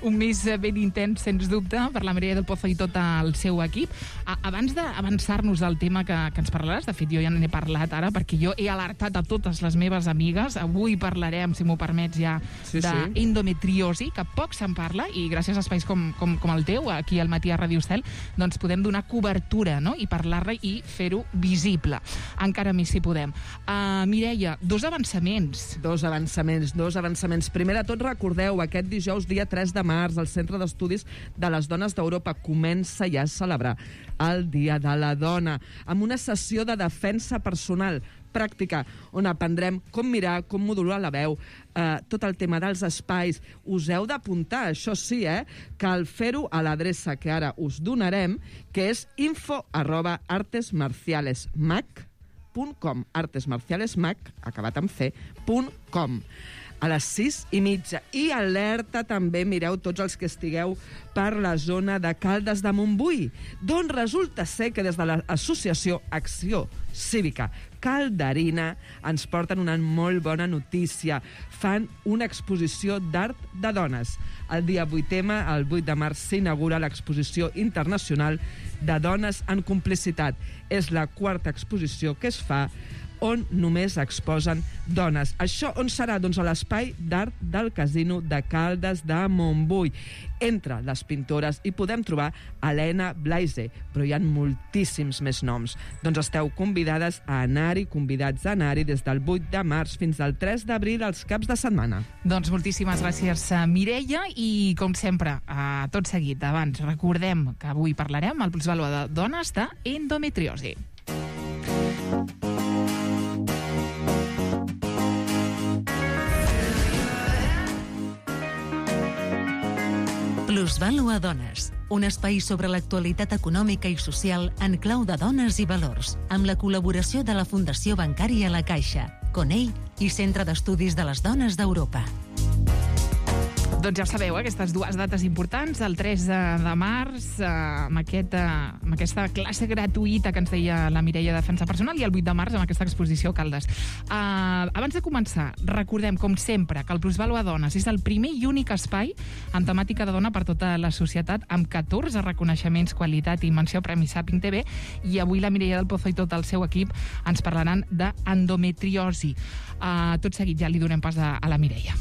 Un mes ben intens, sens dubte, per la Mireia del Pozo i tot el seu equip. Abans de avançar-nos al tema que, que ens parlaràs, de fet jo ja n'he parlat ara perquè jo he alertat a totes les meves amigues. Avui parlarem, si m'ho permets ja, sí, d'endometriosi, sí. que poc se'n parla i gràcies a espais com, com, com el teu, aquí al matí a Ràdio Estel, doncs podem donar cobertura, no? I parlar-la i fer-ho visible. Encara més si podem. Uh, Mireia, dos avançaments. Dos avançaments, dos avançaments. Primer de tot, recordeu, aquest dijous, dia tres de març, el Centre d'Estudis de les Dones d'Europa comença ja a celebrar el Dia de la Dona, amb una sessió de defensa personal pràctica, on aprendrem com mirar, com modular la veu, eh, tot el tema dels espais. Us heu d'apuntar, això sí, eh? Cal fer-ho a l'adreça que ara us donarem, que és info arroba artesmarcialesmac punt com. artesmarcialesmac, acabat amb c, punt com. A les sis i mitja. I alerta també, mireu, tots els que estigueu per la zona de Caldes de Montbui, d'on resulta ser que des de l'associació Acció Cívica Calderina ens porten una molt bona notícia. Fan una exposició d'art de dones. El dia vuit ema, el vuit de març, s'inaugura l'exposició internacional de dones en complicitat. És la quarta exposició que es fa on només exposen dones. Això on serà? Doncs a l'espai d'art del Casino de Caldes de Montbui. Entre les pintores hi podem trobar Helena Blaise, però hi ha moltíssims més noms. Doncs esteu convidades a anar-hi, convidats a anar-hi des del vuit de març fins al tres d'abril als caps de setmana. Doncs moltíssimes gràcies, Mireia, i com sempre, a tot seguit, abans recordem que avui parlarem al Plusvalua de Dones d'endometriosi. Plusvalua Dones, un espai sobre l'actualitat econòmica i social en clau de dones i valors, amb la col·laboració de la Fundació Bancària La Caixa, Conell i Centre d'Estudis de les Dones d'Europa. Doncs ja sabeu, eh, aquestes dues dates importants, el tres de març, eh, amb, aquest, eh, amb aquesta classe gratuïta que ens deia la Mireia de Defensa Personal, i el vuit de març amb aquesta exposició a Caldes. Uh, abans de començar, recordem, com sempre, que el Plusvalua Dones és el primer i únic espai amb temàtica de dona per tota la societat, amb catorze reconeixements, qualitat i menció Premi Sàping T V, i avui la Mireia del Pozo i tot el seu equip ens parlaran d'endometriosi. Uh, tot seguit ja li donem pas a, a la Mireia.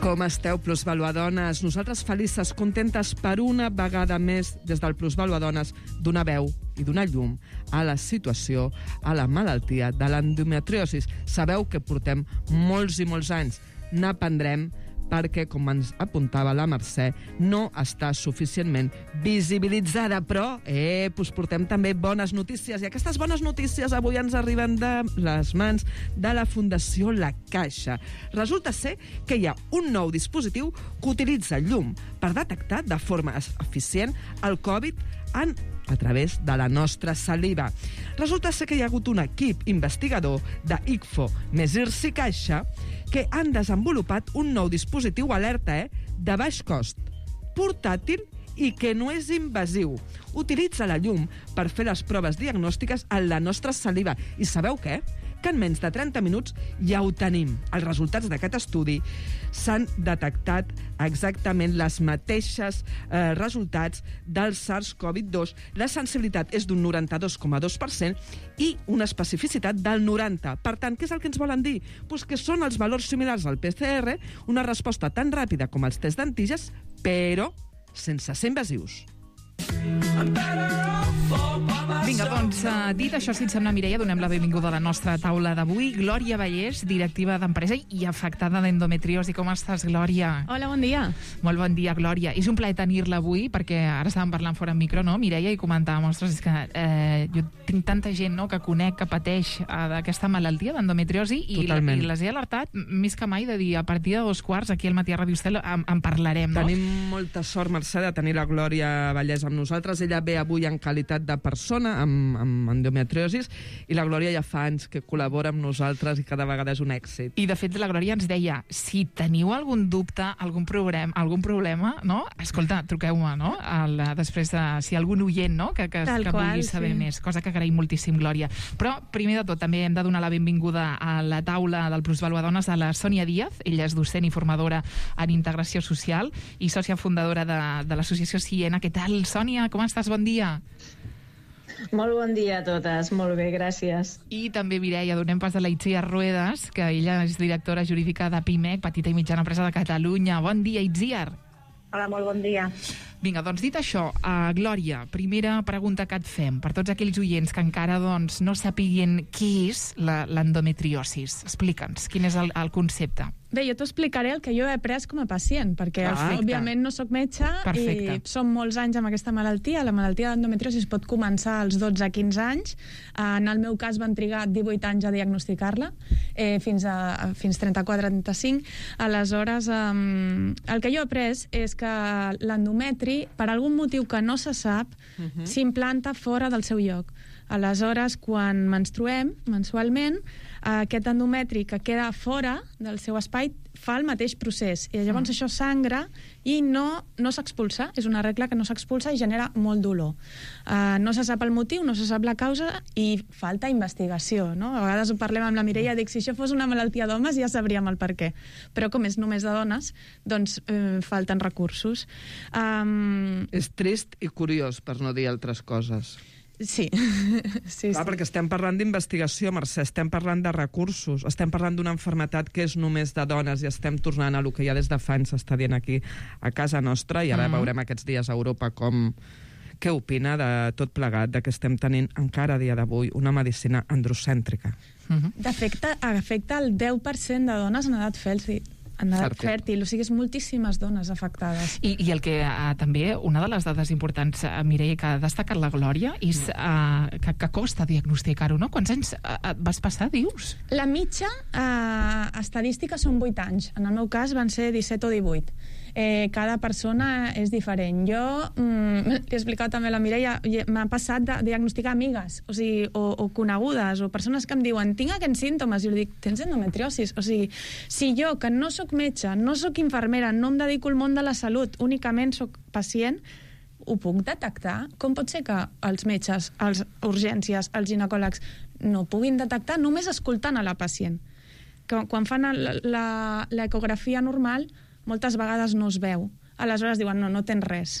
Com esteu, Plusvalua Dones? Nosaltres felices, contentes per una vegada més des del Plusvalua Dones donar veu i donar llum a la situació, a la malaltia de l'endometriosi. Sabeu que portem molts i molts anys, n'aprendrem, perquè, com ens apuntava la Mercè, no està suficientment visibilitzada. Però, eh, us portem també bones notícies, i aquestes bones notícies avui ens arriben de les mans de la Fundació La Caixa. Resulta ser que hi ha un nou dispositiu que utilitza llum per detectar de forma eficient el Covid en a través de la nostra saliva. Resulta ser que hi ha hagut un equip investigador de I C F O més I R S i Caixa que han desenvolupat un nou dispositiu alerta eh, de baix cost, portàtil i que no és invasiu. Utilitza la llum per fer les proves diagnòstiques en la nostra saliva. I sabeu què? Que en menys de trenta minuts ja ho tenim. Els resultats d'aquest estudi s'han detectat exactament les mateixes eh, resultats del SARS-CoV dos. La sensibilitat és d'un noranta-dos coma dos per cent i una especificitat del noranta. Per tant, què és el que ens volen dir? Pues que són els valors similars al P C R, una resposta tan ràpida com els tests d'antígens, però sense ser invasius. Vinga, doncs, uh, dit això, si et sembla, Mireia, donem la benvinguda a la nostra taula d'avui. Glòria Vallès, directiva d'empresa i afectada d'endometriosi. Com estàs, Glòria? Hola, bon dia. Molt bon dia, Glòria. És un plaer tenir-la avui, perquè ara estàvem parlant fora en micro, no, Mireia, i comentàvem, ostres, és que eh, jo tinc tanta gent no, que conec, que pateix uh, d'aquesta malaltia d'endometriosi i, la, i les he alertat més que mai de dir, a partir de dos quarts, aquí al Matí a Ràdio Estel en, en parlarem, no? Tenim molta sort, Mercè, de tenir la Glòria Vallès amb nosaltres. Ella ve avui en qualitat de persona amb, amb endometriosis, i la Glòria ja fa anys que col·labora amb nosaltres i cada vegada és un èxit. I de fet la Glòria ens deia, si teniu algun dubte, algun problema, algun problema, no? Escolta, truqueu-me, no? El, després de, si algun oient, no? Que, que, que qual, vulgui saber sí. més, cosa que agraïm moltíssim, Glòria. Però, primer de tot, també hem de donar la benvinguda a la taula del Plusvalua Dones a la Sònia Díaz. Ella és docent i formadora en integració social i sòcia fundadora de, de l'associació Siena. Què tal, Sònia? Com estàs? Bon dia. Molt bon dia a totes, molt bé, gràcies. I també, Mireia, donem pas a la Itziar Ruedas, que ella és directora jurídica de PIMEC, Petita i Mitjana Empresa de Catalunya. Bon dia, Itziar. Hola, molt bon dia. Vinga, doncs dit això, uh, Glòria, primera pregunta que et fem, per tots aquells oients que encara doncs, no sapiguin què és l'endometriosis. Explica'ns, quin és el, el concepte. Bé, jo t'ho explicaré el que jo he après com a pacient, perquè, ah, òbviament, no sóc metge. Perfecte. I som molts anys amb aquesta malaltia. La malaltia d'endometriosis pot començar als dotze a quinze anys. En el meu cas van trigar divuit anys a diagnosticar-la, eh, fins a fins trenta-quatre a trenta-cinc. Aleshores, eh, el que jo he après és que l'endometri, per algun motiu que no se sap, uh-huh. s'implanta fora del seu lloc. Aleshores, quan menstruem, mensualment, aquest endometri que queda fora del seu espai fa el mateix procés. I llavors mm. això sangra i no, no s'expulsa. És una regla que no s'expulsa i genera molt dolor. Uh, no se sap el motiu, no se sap la causa i falta investigació, no? A vegades ho parlem amb la Mireia, dic, si això fos una malaltia d'homes ja sabríem el per què. Però com és només de dones, doncs eh, falten recursos. Um... És trist i curiós, per no dir altres coses. Sí. sí, Clar, sí. perquè estem parlant d'investigació, Mercè, estem parlant de recursos, estem parlant d'una malaltia que és només de dones i estem tornant a lo que ja des de fa anys s'està dient aquí a casa nostra, i ara mm. veurem aquests dies a Europa com què opina de tot plegat, de que estem tenint encara a dia d'avui una medicina androcèntrica. Mm-hmm. D'efecte, afecta el deu per cent de dones en edat fèrtil. En edat fèrtil. fèrtil, o sigui, és moltíssimes dones afectades. I, i el que uh, també, una de les dades importants, uh, Mireia, que ha destacat la Glòria, és uh, que, que costa diagnosticar-ho, no? Quants anys uh, vas passar, dius? La mitja uh, estadística són vuit anys. En el meu cas van ser disset o divuit. Eh, cada persona és diferent. Jo, mm, li he explicat també a la Mireia, m'ha passat de diagnosticar amigues, o sigui, o, o conegudes, o persones que em diuen, tinc aquests símptomes, i jo dic, tens endometriosis? O sigui, si jo, que no sóc metge, no sóc infermera, no em dedico al món de la salut, únicament sóc pacient, ho puc detectar? Com pot ser que els metges, els urgències, els ginecòlegs no puguin detectar només escoltant a la pacient? Que quan fan l'ecografia normal, moltes vegades no es veu. Aleshores diuen, no, no tens res.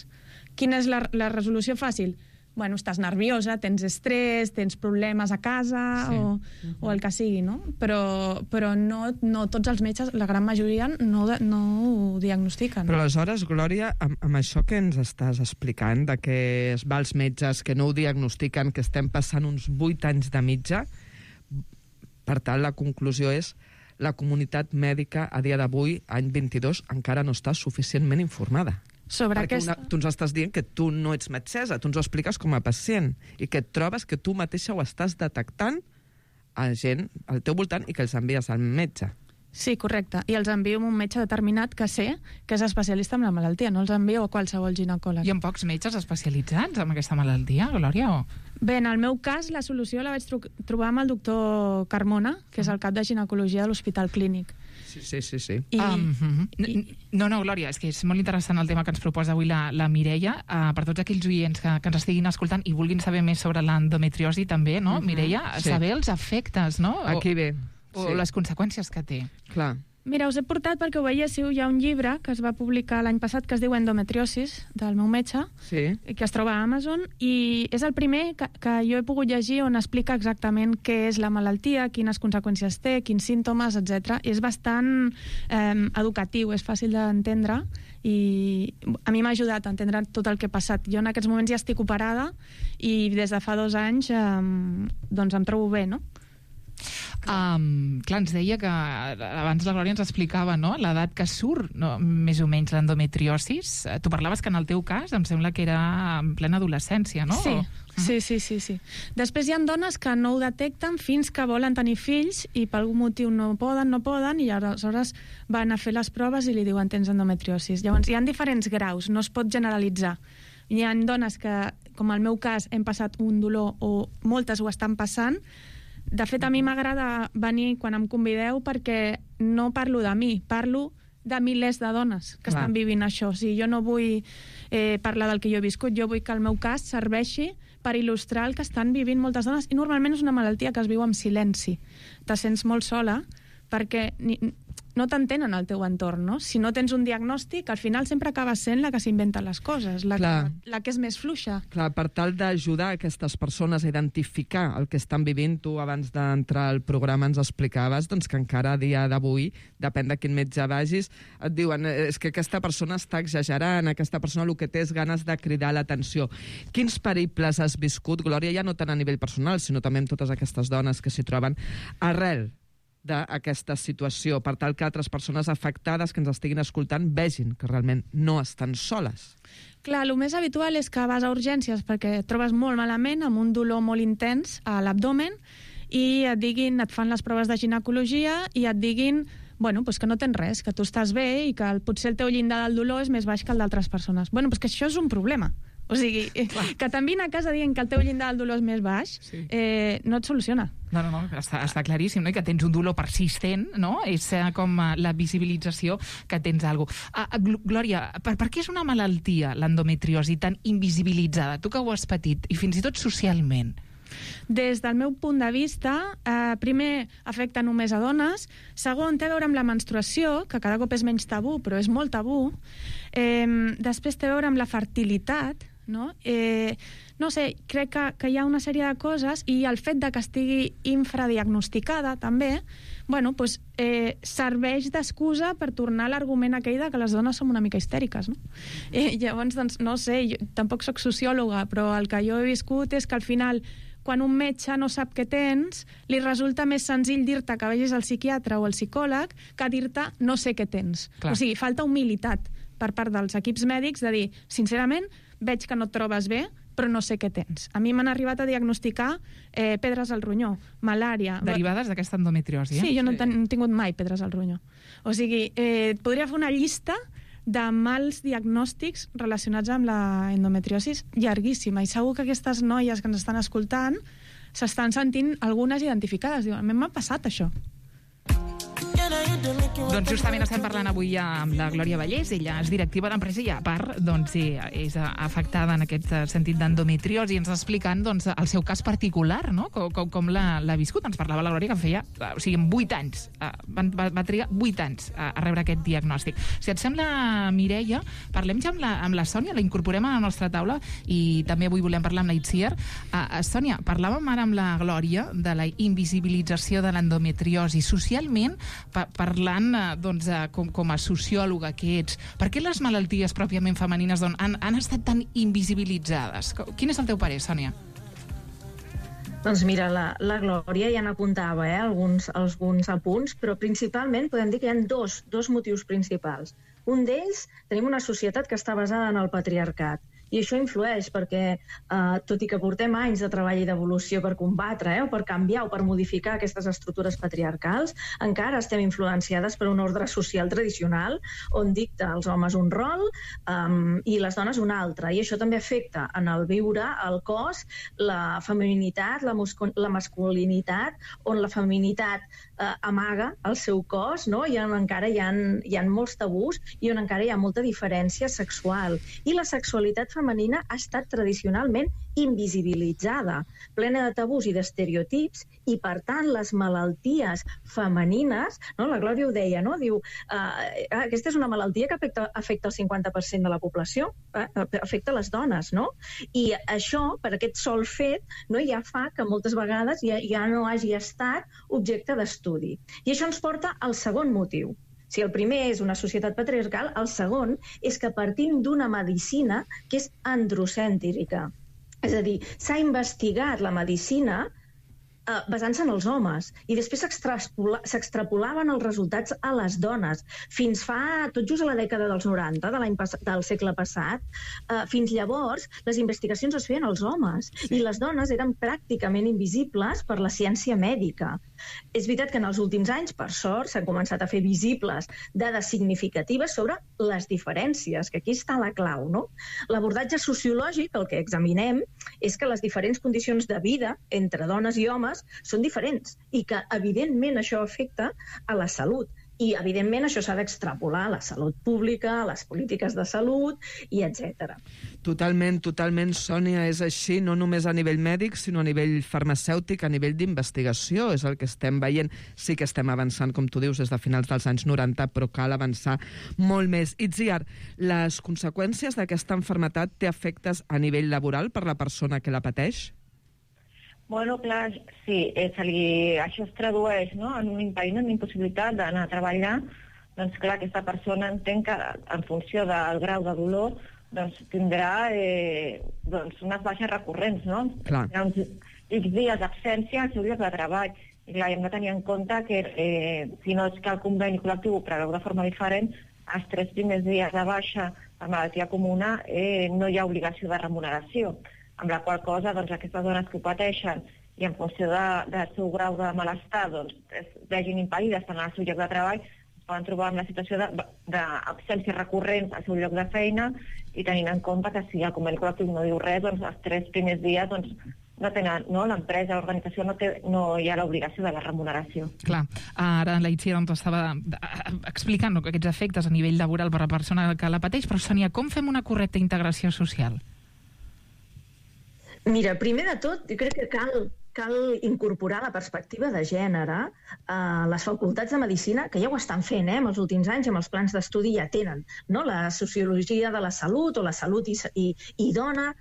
Quina és la, la resolució fàcil? Bueno, estàs nerviosa, tens estrès, tens problemes a casa, sí. o, uh-huh. o el que sigui, no? Però, però no, no tots els metges, la gran majoria, no, no ho diagnostiquen. Però aleshores, Glòria, amb, amb això que ens estàs explicant, de que es va als metges, que no ho diagnostiquen, que estem passant uns vuit anys de mitja, per tant, la conclusió és la comunitat mèdica a dia d'avui, any vint-i-dos, encara no està suficientment informada. Sobre Perquè aquesta... una, tu ens estàs dient que tu no ets metgessa, tu ens ho expliques com a pacient i que et trobes que tu mateixa ho estàs detectant a gent al teu voltant i que els envies al metge. Sí, correcte. I els envio a un metge determinat que sé que és especialista en la malaltia, no els envio a qualsevol ginecòleg. Hi ha pocs metges especialitzats en aquesta malaltia, Glòria? O... Bé, en el meu cas, la solució la vaig tro trobar amb el doctor Carmona, que és el cap de ginecologia de l'Hospital Clínic. Sí, sí, sí. sí. I... Um, I... No, no, Glòria, és que és molt interessant el tema que ens proposa avui la, la Mireia. Uh, per tots aquells oients que, que ens estiguin escoltant i vulguin saber més sobre l'endometriosi també, no, uh-huh. Mireia? Sí. Saber els efectes, no? Aquí ve. O Sí. les conseqüències que té. Clar. Mira, us he portat perquè ho veiéssiu, hi ha un llibre que es va publicar l'any passat que es diu Endometriosis, del meu metge, sí. que es troba a Amazon, i és el primer que, que jo he pogut llegir on explica exactament què és la malaltia, quines conseqüències té, quins símptomes, etcètera. És bastant eh, educatiu, és fàcil d'entendre, i a mi m'ha ajudat a entendre tot el que ha passat. Jo en aquests moments ja estic operada i des de fa dos anys eh, doncs em trobo bé, no? Um, clar, ens deia que abans la Glòria ens explicava, no?, l'edat que surt, no?, més o menys l'endometriosis. Tu parlaves que en el teu cas em sembla que era en plena adolescència, no? Sí, sí, sí, sí, sí. Després hi ha dones que no ho detecten fins que volen tenir fills i per algun motiu no poden, no poden, i aleshores van a fer les proves i li diuen tens endometriosis. Llavors hi ha diferents graus, no es pot generalitzar. Hi ha dones que, com el meu cas, hem passat un dolor o moltes ho estan passant. De fet, a mi m'agrada venir quan em convideu perquè no parlo de mi, parlo de milers de dones que Clar. estan vivint això. O sigui, jo no vull eh, parlar del que jo he viscut, jo vull que el meu cas serveixi per il·lustrar el que estan vivint moltes dones, i normalment és una malaltia que es viu amb silenci. Te sents molt sola perquè ni, no t'entenen al teu entorn, no? Si no tens un diagnòstic, al final sempre acaba sent la que s'inventa les coses, la que, la que és més fluixa. Clar, per tal d'ajudar aquestes persones a identificar el que estan vivint, tu abans d'entrar al programa ens explicaves doncs, que encara a dia d'avui, depèn de quin metge vagis, et diuen és que aquesta persona està exagerant, aquesta persona el que té és ganes de cridar l'atenció. Quins periples has viscut, Glòria, ja no tant a nivell personal, sinó també amb totes aquestes dones que s'hi troben arrel d'aquesta situació, per tal que altres persones afectades que ens estiguin escoltant vegin que realment no estan soles? Clar, el més habitual és que vas a urgències perquè et trobes molt malament, amb un dolor molt intens a l'abdomen, i et diguin, et fan les proves de ginecologia i et diguin bueno, pues que no tens res, que tu estàs bé i que el, potser el teu llindar del dolor és més baix que el d'altres persones. Bueno, pues que això és un problema. O sigui, Clar. que t'envien a casa dient que el teu llindar del dolor és més baix, sí. eh, no et soluciona. No, no, no, està, està claríssim, no? I que tens un dolor persistent, no? És com la visibilització que tens alguna cosa. Uh, Glòria, per, per què és una malaltia, l'endometriosi, tan invisibilitzada? Tu que ho has patit, i fins i tot socialment. Des del meu punt de vista, eh, primer, afecta només a dones. Segon, té a veure amb la menstruació, que cada cop és menys tabú, però és molt tabú. Eh, després té a veure amb la fertilitat, no? Eh, no sé, crec que, que hi ha una sèrie de coses, i el fet de que estigui infradiagnosticada també, bueno, pues, eh, serveix d'excusa per tornar a l'argument aquell de que les dones som una mica histèriques, no? Eh, llavors, doncs, no sé, jo tampoc soc sociòloga, però el que jo he viscut és que al final, quan un metge no sap què tens, li resulta més senzill dir-te que vagis al psiquiatre o al psicòleg que dir-te no sé què tens. Clar. O sigui, falta humilitat per part dels equips mèdics de dir, sincerament, veig que no et trobes bé, però no sé què tens. A mi m'han arribat a diagnosticar eh, pedres al ronyó, malària... Derivades d'aquesta endometriosi, eh? Sí, jo no he ten tingut mai pedres al ronyó. O sigui, eh, podria fer una llista de mals diagnòstics relacionats amb la endometriosis llarguíssima, i segur que aquestes noies que ens estan escoltant s'estan sentint algunes identificades. Diuen, a mi m'ha passat això. Doncs justament estem parlant avui amb la Glòria Vallès. Ella és directiva d'empresa i a part doncs, és afectada en aquest sentit d'endometriosi, i ens explicant doncs, el seu cas particular, no? com, com, com l'ha viscut. Ens parlava la Glòria que feia, o sigui, en vuit anys, va, va trigar vuit anys a, a rebre aquest diagnòstic. Si et sembla, Mireia, parlem ja amb la, amb la Sònia, la incorporem a la nostra taula, i també avui volem parlar amb la Itziar. Uh, Sònia, parlàvem ara amb la Glòria de la invisibilització de l'endometriosi socialment, pa parlant doncs, com, com a sociòloga que ets. Per què les malalties pròpiament femenines doncs, han, han estat tan invisibilitzades? Quin és el teu parer, Sònia? Doncs mira, la, la Glòria ja n'apuntava eh, alguns, alguns apunts, però principalment podem dir que hi ha dos, dos motius principals. Un d'ells, tenim una societat que està basada en el patriarcat. I això influeix perquè, eh, tot i que portem anys de treball i d'evolució per combatre, eh, o per canviar o per modificar aquestes estructures patriarcals, encara estem influenciades per un ordre social tradicional on dicta als homes un rol um, i les dones un altre. I això també afecta en el viure, el cos, la femininitat, la, la masculinitat, on la feminitat eh, amaga el seu cos, no? I on encara hi ha, hi ha molts tabús i on encara hi ha molta diferència sexual. I la sexualitat femenina ha estat tradicionalment invisibilitzada, plena de tabús i d'estereotips, i per tant les malalties femenines, no? La Glòria ho deia, no? Diu, eh, aquesta és una malaltia que afecta, afecta el cinquanta per cent de la població, eh? Afecta les dones, no? I això, per aquest sol fet, no, ja fa que moltes vegades ja, ja no hagi estat objecte d'estudi. I això ens porta al segon motiu. Si el primer és una societat patriarcal, el segon és que partim d'una medicina que és androcèntrica. És a dir, s'ha investigat la medicina eh, basant-se en els homes i després s'extrapolaven els resultats a les dones. Fins fa, tot just a la dècada dels noranta, de l'any del segle passat, eh, fins llavors les investigacions es feien als homes sí. I les dones eren pràcticament invisibles per la ciència mèdica. És veritat que en els últims anys, per sort, s'han començat a fer visibles dades significatives sobre les diferències, que aquí està la clau, no? L'abordatge sociològic, el que examinem, és que les diferents condicions de vida entre dones i homes són diferents i que, evidentment, això afecta a la salut. I, evidentment, això s'ha d'extrapolar a la salut pública, a les polítiques de salut, i etcètera. Totalment, totalment, Sònia, és així, no només a nivell mèdic, sinó a nivell farmacèutic, a nivell d'investigació, és el que estem veient. Sí que estem avançant, com tu dius, des de finals dels anys noranta, però cal avançar molt més. Itziar, les conseqüències d'aquesta malaltia té efectes a nivell laboral per la persona que la pateix? Bueno, clar, sí, eh, se li, això es tradueix, no?, en un impediment, una impossibilitat d'anar a treballar. Doncs clar, aquesta persona entén que en funció del grau de dolor doncs, tindrà eh, doncs, unes baixes recurrents, no? Clar. Tindrà uns X dies d'absència al seu lloc de treball. I clar, hem de tenir en compte que eh, si no és que el conveni col·lectiu ho preveu de forma diferent, els tres primers dies de baixa per malaltia comuna eh, no hi ha obligació de remuneració. Amb la qual cosa, doncs, aquestes dones que ho pateixen i en funció de, del seu grau de malestar doncs, es vegin impedides per anar al seu lloc de treball, es poden trobar en la situació d'absències recurrents al seu lloc de feina i tenint en compte que si el conveni col·lectiu no diu res, doncs els tres primers dies doncs, no tenen, no? L'empresa, l'organització no, té, no hi ha l'obligació de la remuneració. Clar, ara la Itziar doncs, estava explicant no, aquests efectes a nivell laboral per a la persona que la pateix, però Sònia, com fem una correcta integració social? Mira, primer de tot, jo crec que cal, cal incorporar la perspectiva de gènere a les facultats de Medicina, que ja ho estan fent, eh, en els últims anys, amb els plans d'estudi ja tenen, no?, la sociologia de la salut o la salut i, i, i dona,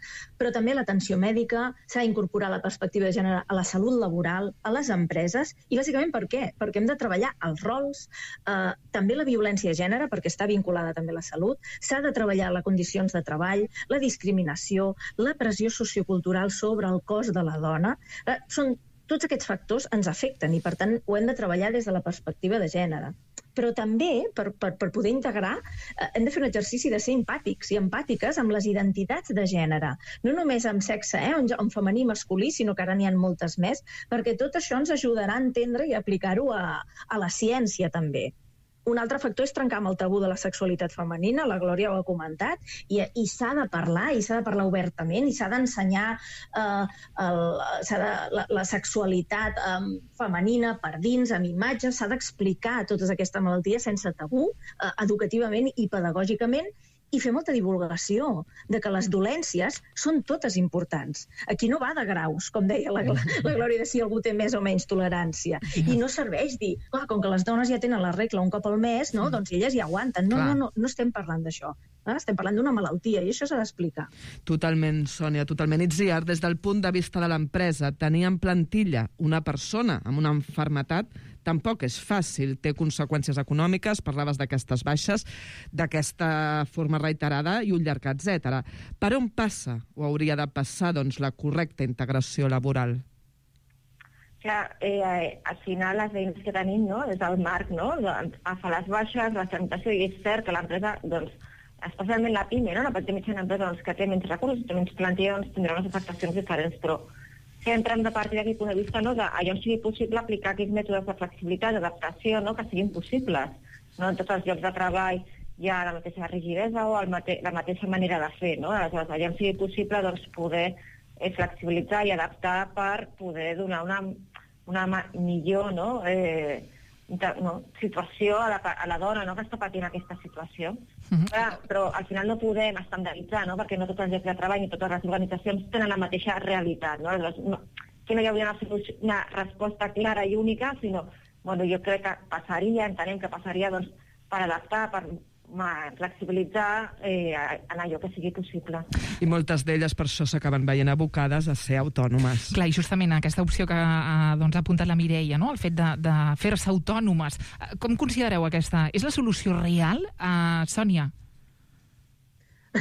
però també l'atenció mèdica, s'ha d'incorporar la perspectiva de gènere a la salut laboral, a les empreses, i bàsicament per què? Perquè hem de treballar els rols, eh, també la violència de gènere, perquè està vinculada també a la salut, s'ha de treballar les condicions de treball, la discriminació, la pressió sociocultural sobre el cos de la dona. Eh, són tots aquests factors ens afecten i, per tant, ho hem de treballar des de la perspectiva de gènere. Però també, per, per, per poder integrar, eh, hem de fer un exercici de ser empàtics i empàtiques amb les identitats de gènere. No només amb sexe, eh, en femení i masculí, sinó que ara n'hi ha moltes més, perquè tot això ens ajudarà a entendre i a aplicar-ho a, a la ciència, també. Un altre factor és trencar amb el tabú de la sexualitat femenina, la Glòria ho ha comentat, i, i s'ha de parlar, i s'ha de parlar obertament, i s'ha d'ensenyar eh, el, s'ha de, la, la sexualitat eh, femenina per dins, amb imatges, s'ha d'explicar totes aquestes malalties sense tabú, eh, educativament i pedagògicament, i fer molta divulgació de que les dolències són totes importants. Aquí no va de graus, com deia la, la Glòria, de si algú té més o menys tolerància. I no serveix dir, clar, com que les dones ja tenen la regla un cop al mes, no? Doncs elles ja aguanten. No, no, no, no estem parlant d'això. Eh? Estem parlant d'una malaltia i això s'ha d'explicar. Totalment, Sònia, totalment. Itziar, des del punt de vista de l'empresa, tenir en plantilla una persona amb una malaltia tampoc és fàcil, té conseqüències econòmiques, parlaves d'aquestes baixes, d'aquesta forma reiterada i un llarg etcètera. Per on passa o hauria de passar doncs, la correcta integració laboral? Clar, eh, al final les eines que tenim, no?, és el marc, no?, agafar les baixes, la tramitació, i és cert que l'empresa, doncs, especialment la PIME, no?, la petita i mitjana empresa, doncs, que té menys recursos, té menys plantilla, doncs, tindrà unes afectacions diferents, però sempre hem de partir d'aquest punt de vista, no?, d'allò sigui possible aplicar aquells mètodes de flexibilitat, d'adaptació, no?, que siguin possibles. No en tots els llocs de treball hi ha la mateixa rigidesa o el mate la mateixa manera de fer, no?, aleshores, allò sigui possible, doncs, poder eh, flexibilitzar i adaptar per poder donar una una millor, no?, eh, no, situació a la, a la dona, no?, que està patint aquesta situació. Uh-huh. Clar, però al final no podem estandarditzar, no?, perquè no tots els llocs de treball ni totes les organitzacions tenen la mateixa realitat, no? Aleshores, no, que no hi hauria una, una resposta clara i única, sinó, bueno, jo crec que passaria, entenem que passaria, doncs, per adaptar, per flexibilitzar eh, en allò que sigui possible. I moltes d'elles per això s'acaben veient abocades a ser autònomes. Clar, i justament aquesta opció que ha doncs, apuntat la Mireia, no?, el fet de, de fer-se autònomes. Com considereu aquesta? És la solució real? Uh, Sònia?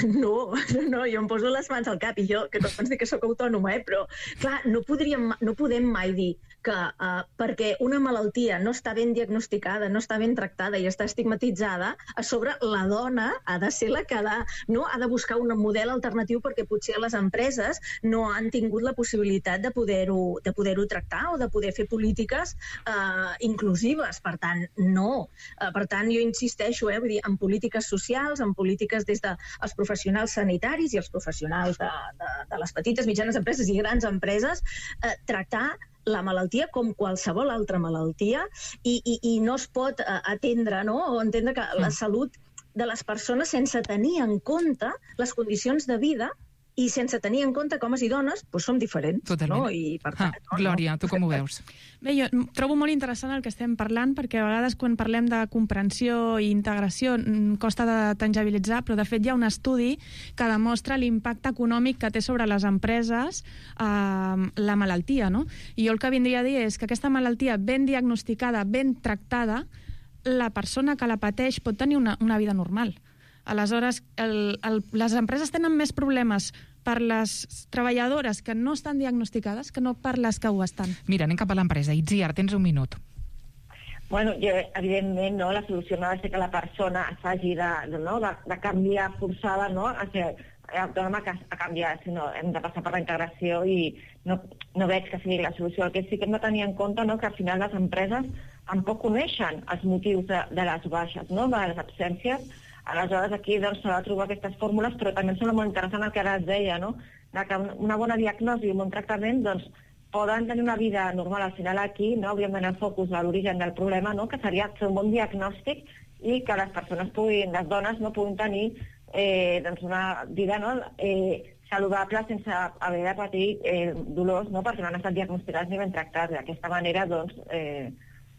No, no, jo em poso les mans al cap i jo, que tots ens dic que sóc autònoma, eh? Però, clar, no, podríem, no podem mai dir que uh, perquè una malaltia no està ben diagnosticada, no està ben tractada i està estigmatitzada, a sobre la dona ha de ser la que ha de, no, ha de buscar un model alternatiu perquè potser les empreses no han tingut la possibilitat de poder-ho de poder-ho tractar o de poder fer polítiques uh, inclusives. Per tant, no. Uh, per tant, jo insisteixo, eh, vull dir, en polítiques socials, en polítiques des dels professionals sanitaris i els professionals de, de, de les petites, mitjanes empreses i grans empreses, eh, tractar la malaltia com qualsevol altra malaltia i, i, i no es pot uh, atendre, no?, o entendre que la salut de les persones sense tenir en compte les condicions de vida i sense tenir en compte que homes i dones doncs som diferents. Totalment. No? I, per tant, ah, Glòria, tu com ho veus? Bé, jo trobo molt interessant el que estem parlant, perquè a vegades quan parlem de comprensió i integració costa de tangibilitzar, però de fet hi ha un estudi que demostra l'impacte econòmic que té sobre les empreses eh, la malaltia, no? I jo el que vindria a dir és que aquesta malaltia ben diagnosticada, ben tractada, la persona que la pateix pot tenir una, una vida normal. Aleshores, el, el, les empreses tenen més problemes per les treballadores que no estan diagnosticades que no per les que ho estan. Mira, anem cap a l'empresa. Itziar, tens un minut. Bueno, jo, evidentment, no, la solució no ha de ser que la persona s'hagi de, no, de, de canviar forçada, no, a ser autònoma a canviar, sinó hem de passar per la integració i no, no veig que sigui la solució. El que sí que hem de tenir en compte, no, que al final les empreses tampoc coneixen els motius de, de les baixes, no, de les absències. Aleshores, aquí doncs, s'ha de trobar aquestes fórmules, però també em sembla molt interessant el que ara es deia, no?, de que una bona diagnosi i un bon tractament doncs, poden tenir una vida normal. Al final aquí no hauríem d'anar al focus a l'origen del problema, no?, que seria fer un bon diagnòstic i que les persones puguin, les dones, no puguin tenir eh, doncs una vida, no?, eh, saludable sense haver de patir eh, dolors, no?, perquè no han estat diagnosticats ni ben tractats. D'aquesta manera, doncs, eh,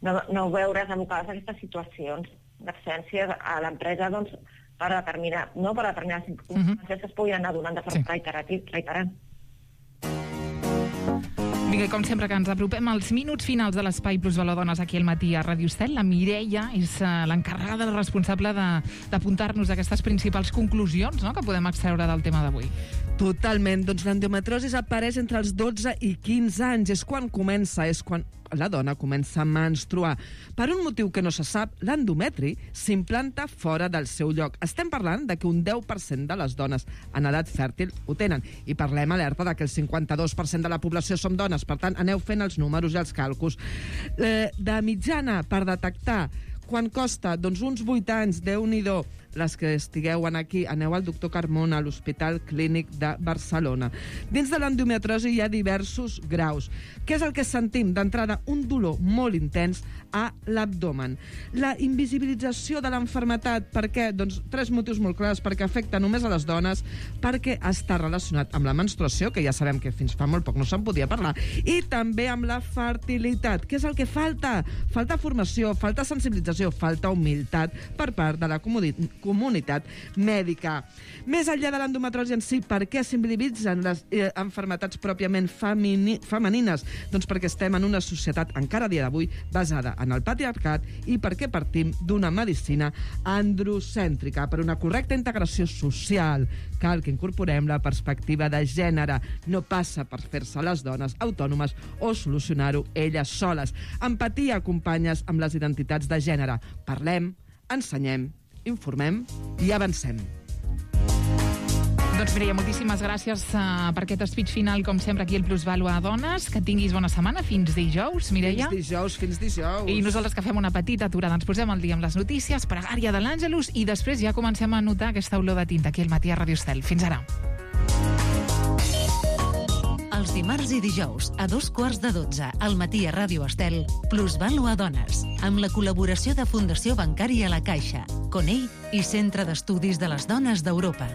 no, no veure's abocades a aquestes situacions d'absència a l'empresa, doncs, per determinar, no, per determinar circumstàncies uh-huh. que es puguin anar donant de forma sí. reiterant. Vinga, com sempre que ens apropem als minuts finals de l'Espai Plus Valor Dones aquí al matí a Ràdio Estel, la Mireia és uh, l'encarregada, la responsable d'apuntar-nos aquestes principals conclusions, no?, que podem extreure del tema d'avui. Totalment. Doncs l'endometriosi apareix entre els dotze i quinze anys. És quan comença, és quan la dona comença a menstruar. Per un motiu que no se sap, l'endometri s'implanta fora del seu lloc. Estem parlant de que un deu per cent de les dones en edat fèrtil ho tenen. I parlem alerta de que el cinquanta-dos per cent de la població som dones. Per tant, aneu fent els números i els càlculs. Eh, de mitjana, per detectar quan costa, doncs uns vuit anys, Déu-n'hi-do, les que estigueu aquí, aneu al doctor Carmona, a l'Hospital Clínic de Barcelona. Dins de l'endometriosi hi ha diversos graus. Què és el que sentim? D'entrada, un dolor molt intens a l'abdomen. La invisibilització de l'enfermetat, per què? Doncs tres motius molt clars, perquè afecta només a les dones, perquè està relacionat amb la menstruació, que ja sabem que fins fa molt poc no se'n podia parlar, i també amb la fertilitat. Què és el que falta? Falta formació, falta sensibilització, falta humilitat per part de la comunitat comunitat mèdica. Més enllà de l'endometriosi en si, per què s'invisibilitzen les eh, malalties pròpiament femini, femenines? Doncs perquè estem en una societat, encara a dia d'avui, basada en el patriarcat i perquè partim d'una medicina androcèntrica. Per una correcta integració social cal que incorporem la perspectiva de gènere. No passa per fer-se les dones autònomes o solucionar-ho elles soles. Empatia, companyes, amb les identitats de gènere. Parlem, ensenyem, informem i avancem. Doncs Mireia, moltíssimes gràcies uh, per aquest speech final, com sempre, aquí al Plusvàlua a Dones. Que tinguis bona setmana. Fins dijous, Mireia. Fins dijous, fins dijous. I nosaltres que fem una petita aturada. Ens posem al dia amb les notícies, pregària de l'Àngelus, i després ja comencem a notar aquesta olor de tinta aquí al matí a Ràdio Estel. Fins ara. Els dimarts i dijous, a dos quarts de dotze, al matí a Ràdio Estel, Plusvàlua a Dones, amb la col·laboració de Fundació Bancària La Caixa, Conell i Centre d'Estudis de les Dones d'Europa.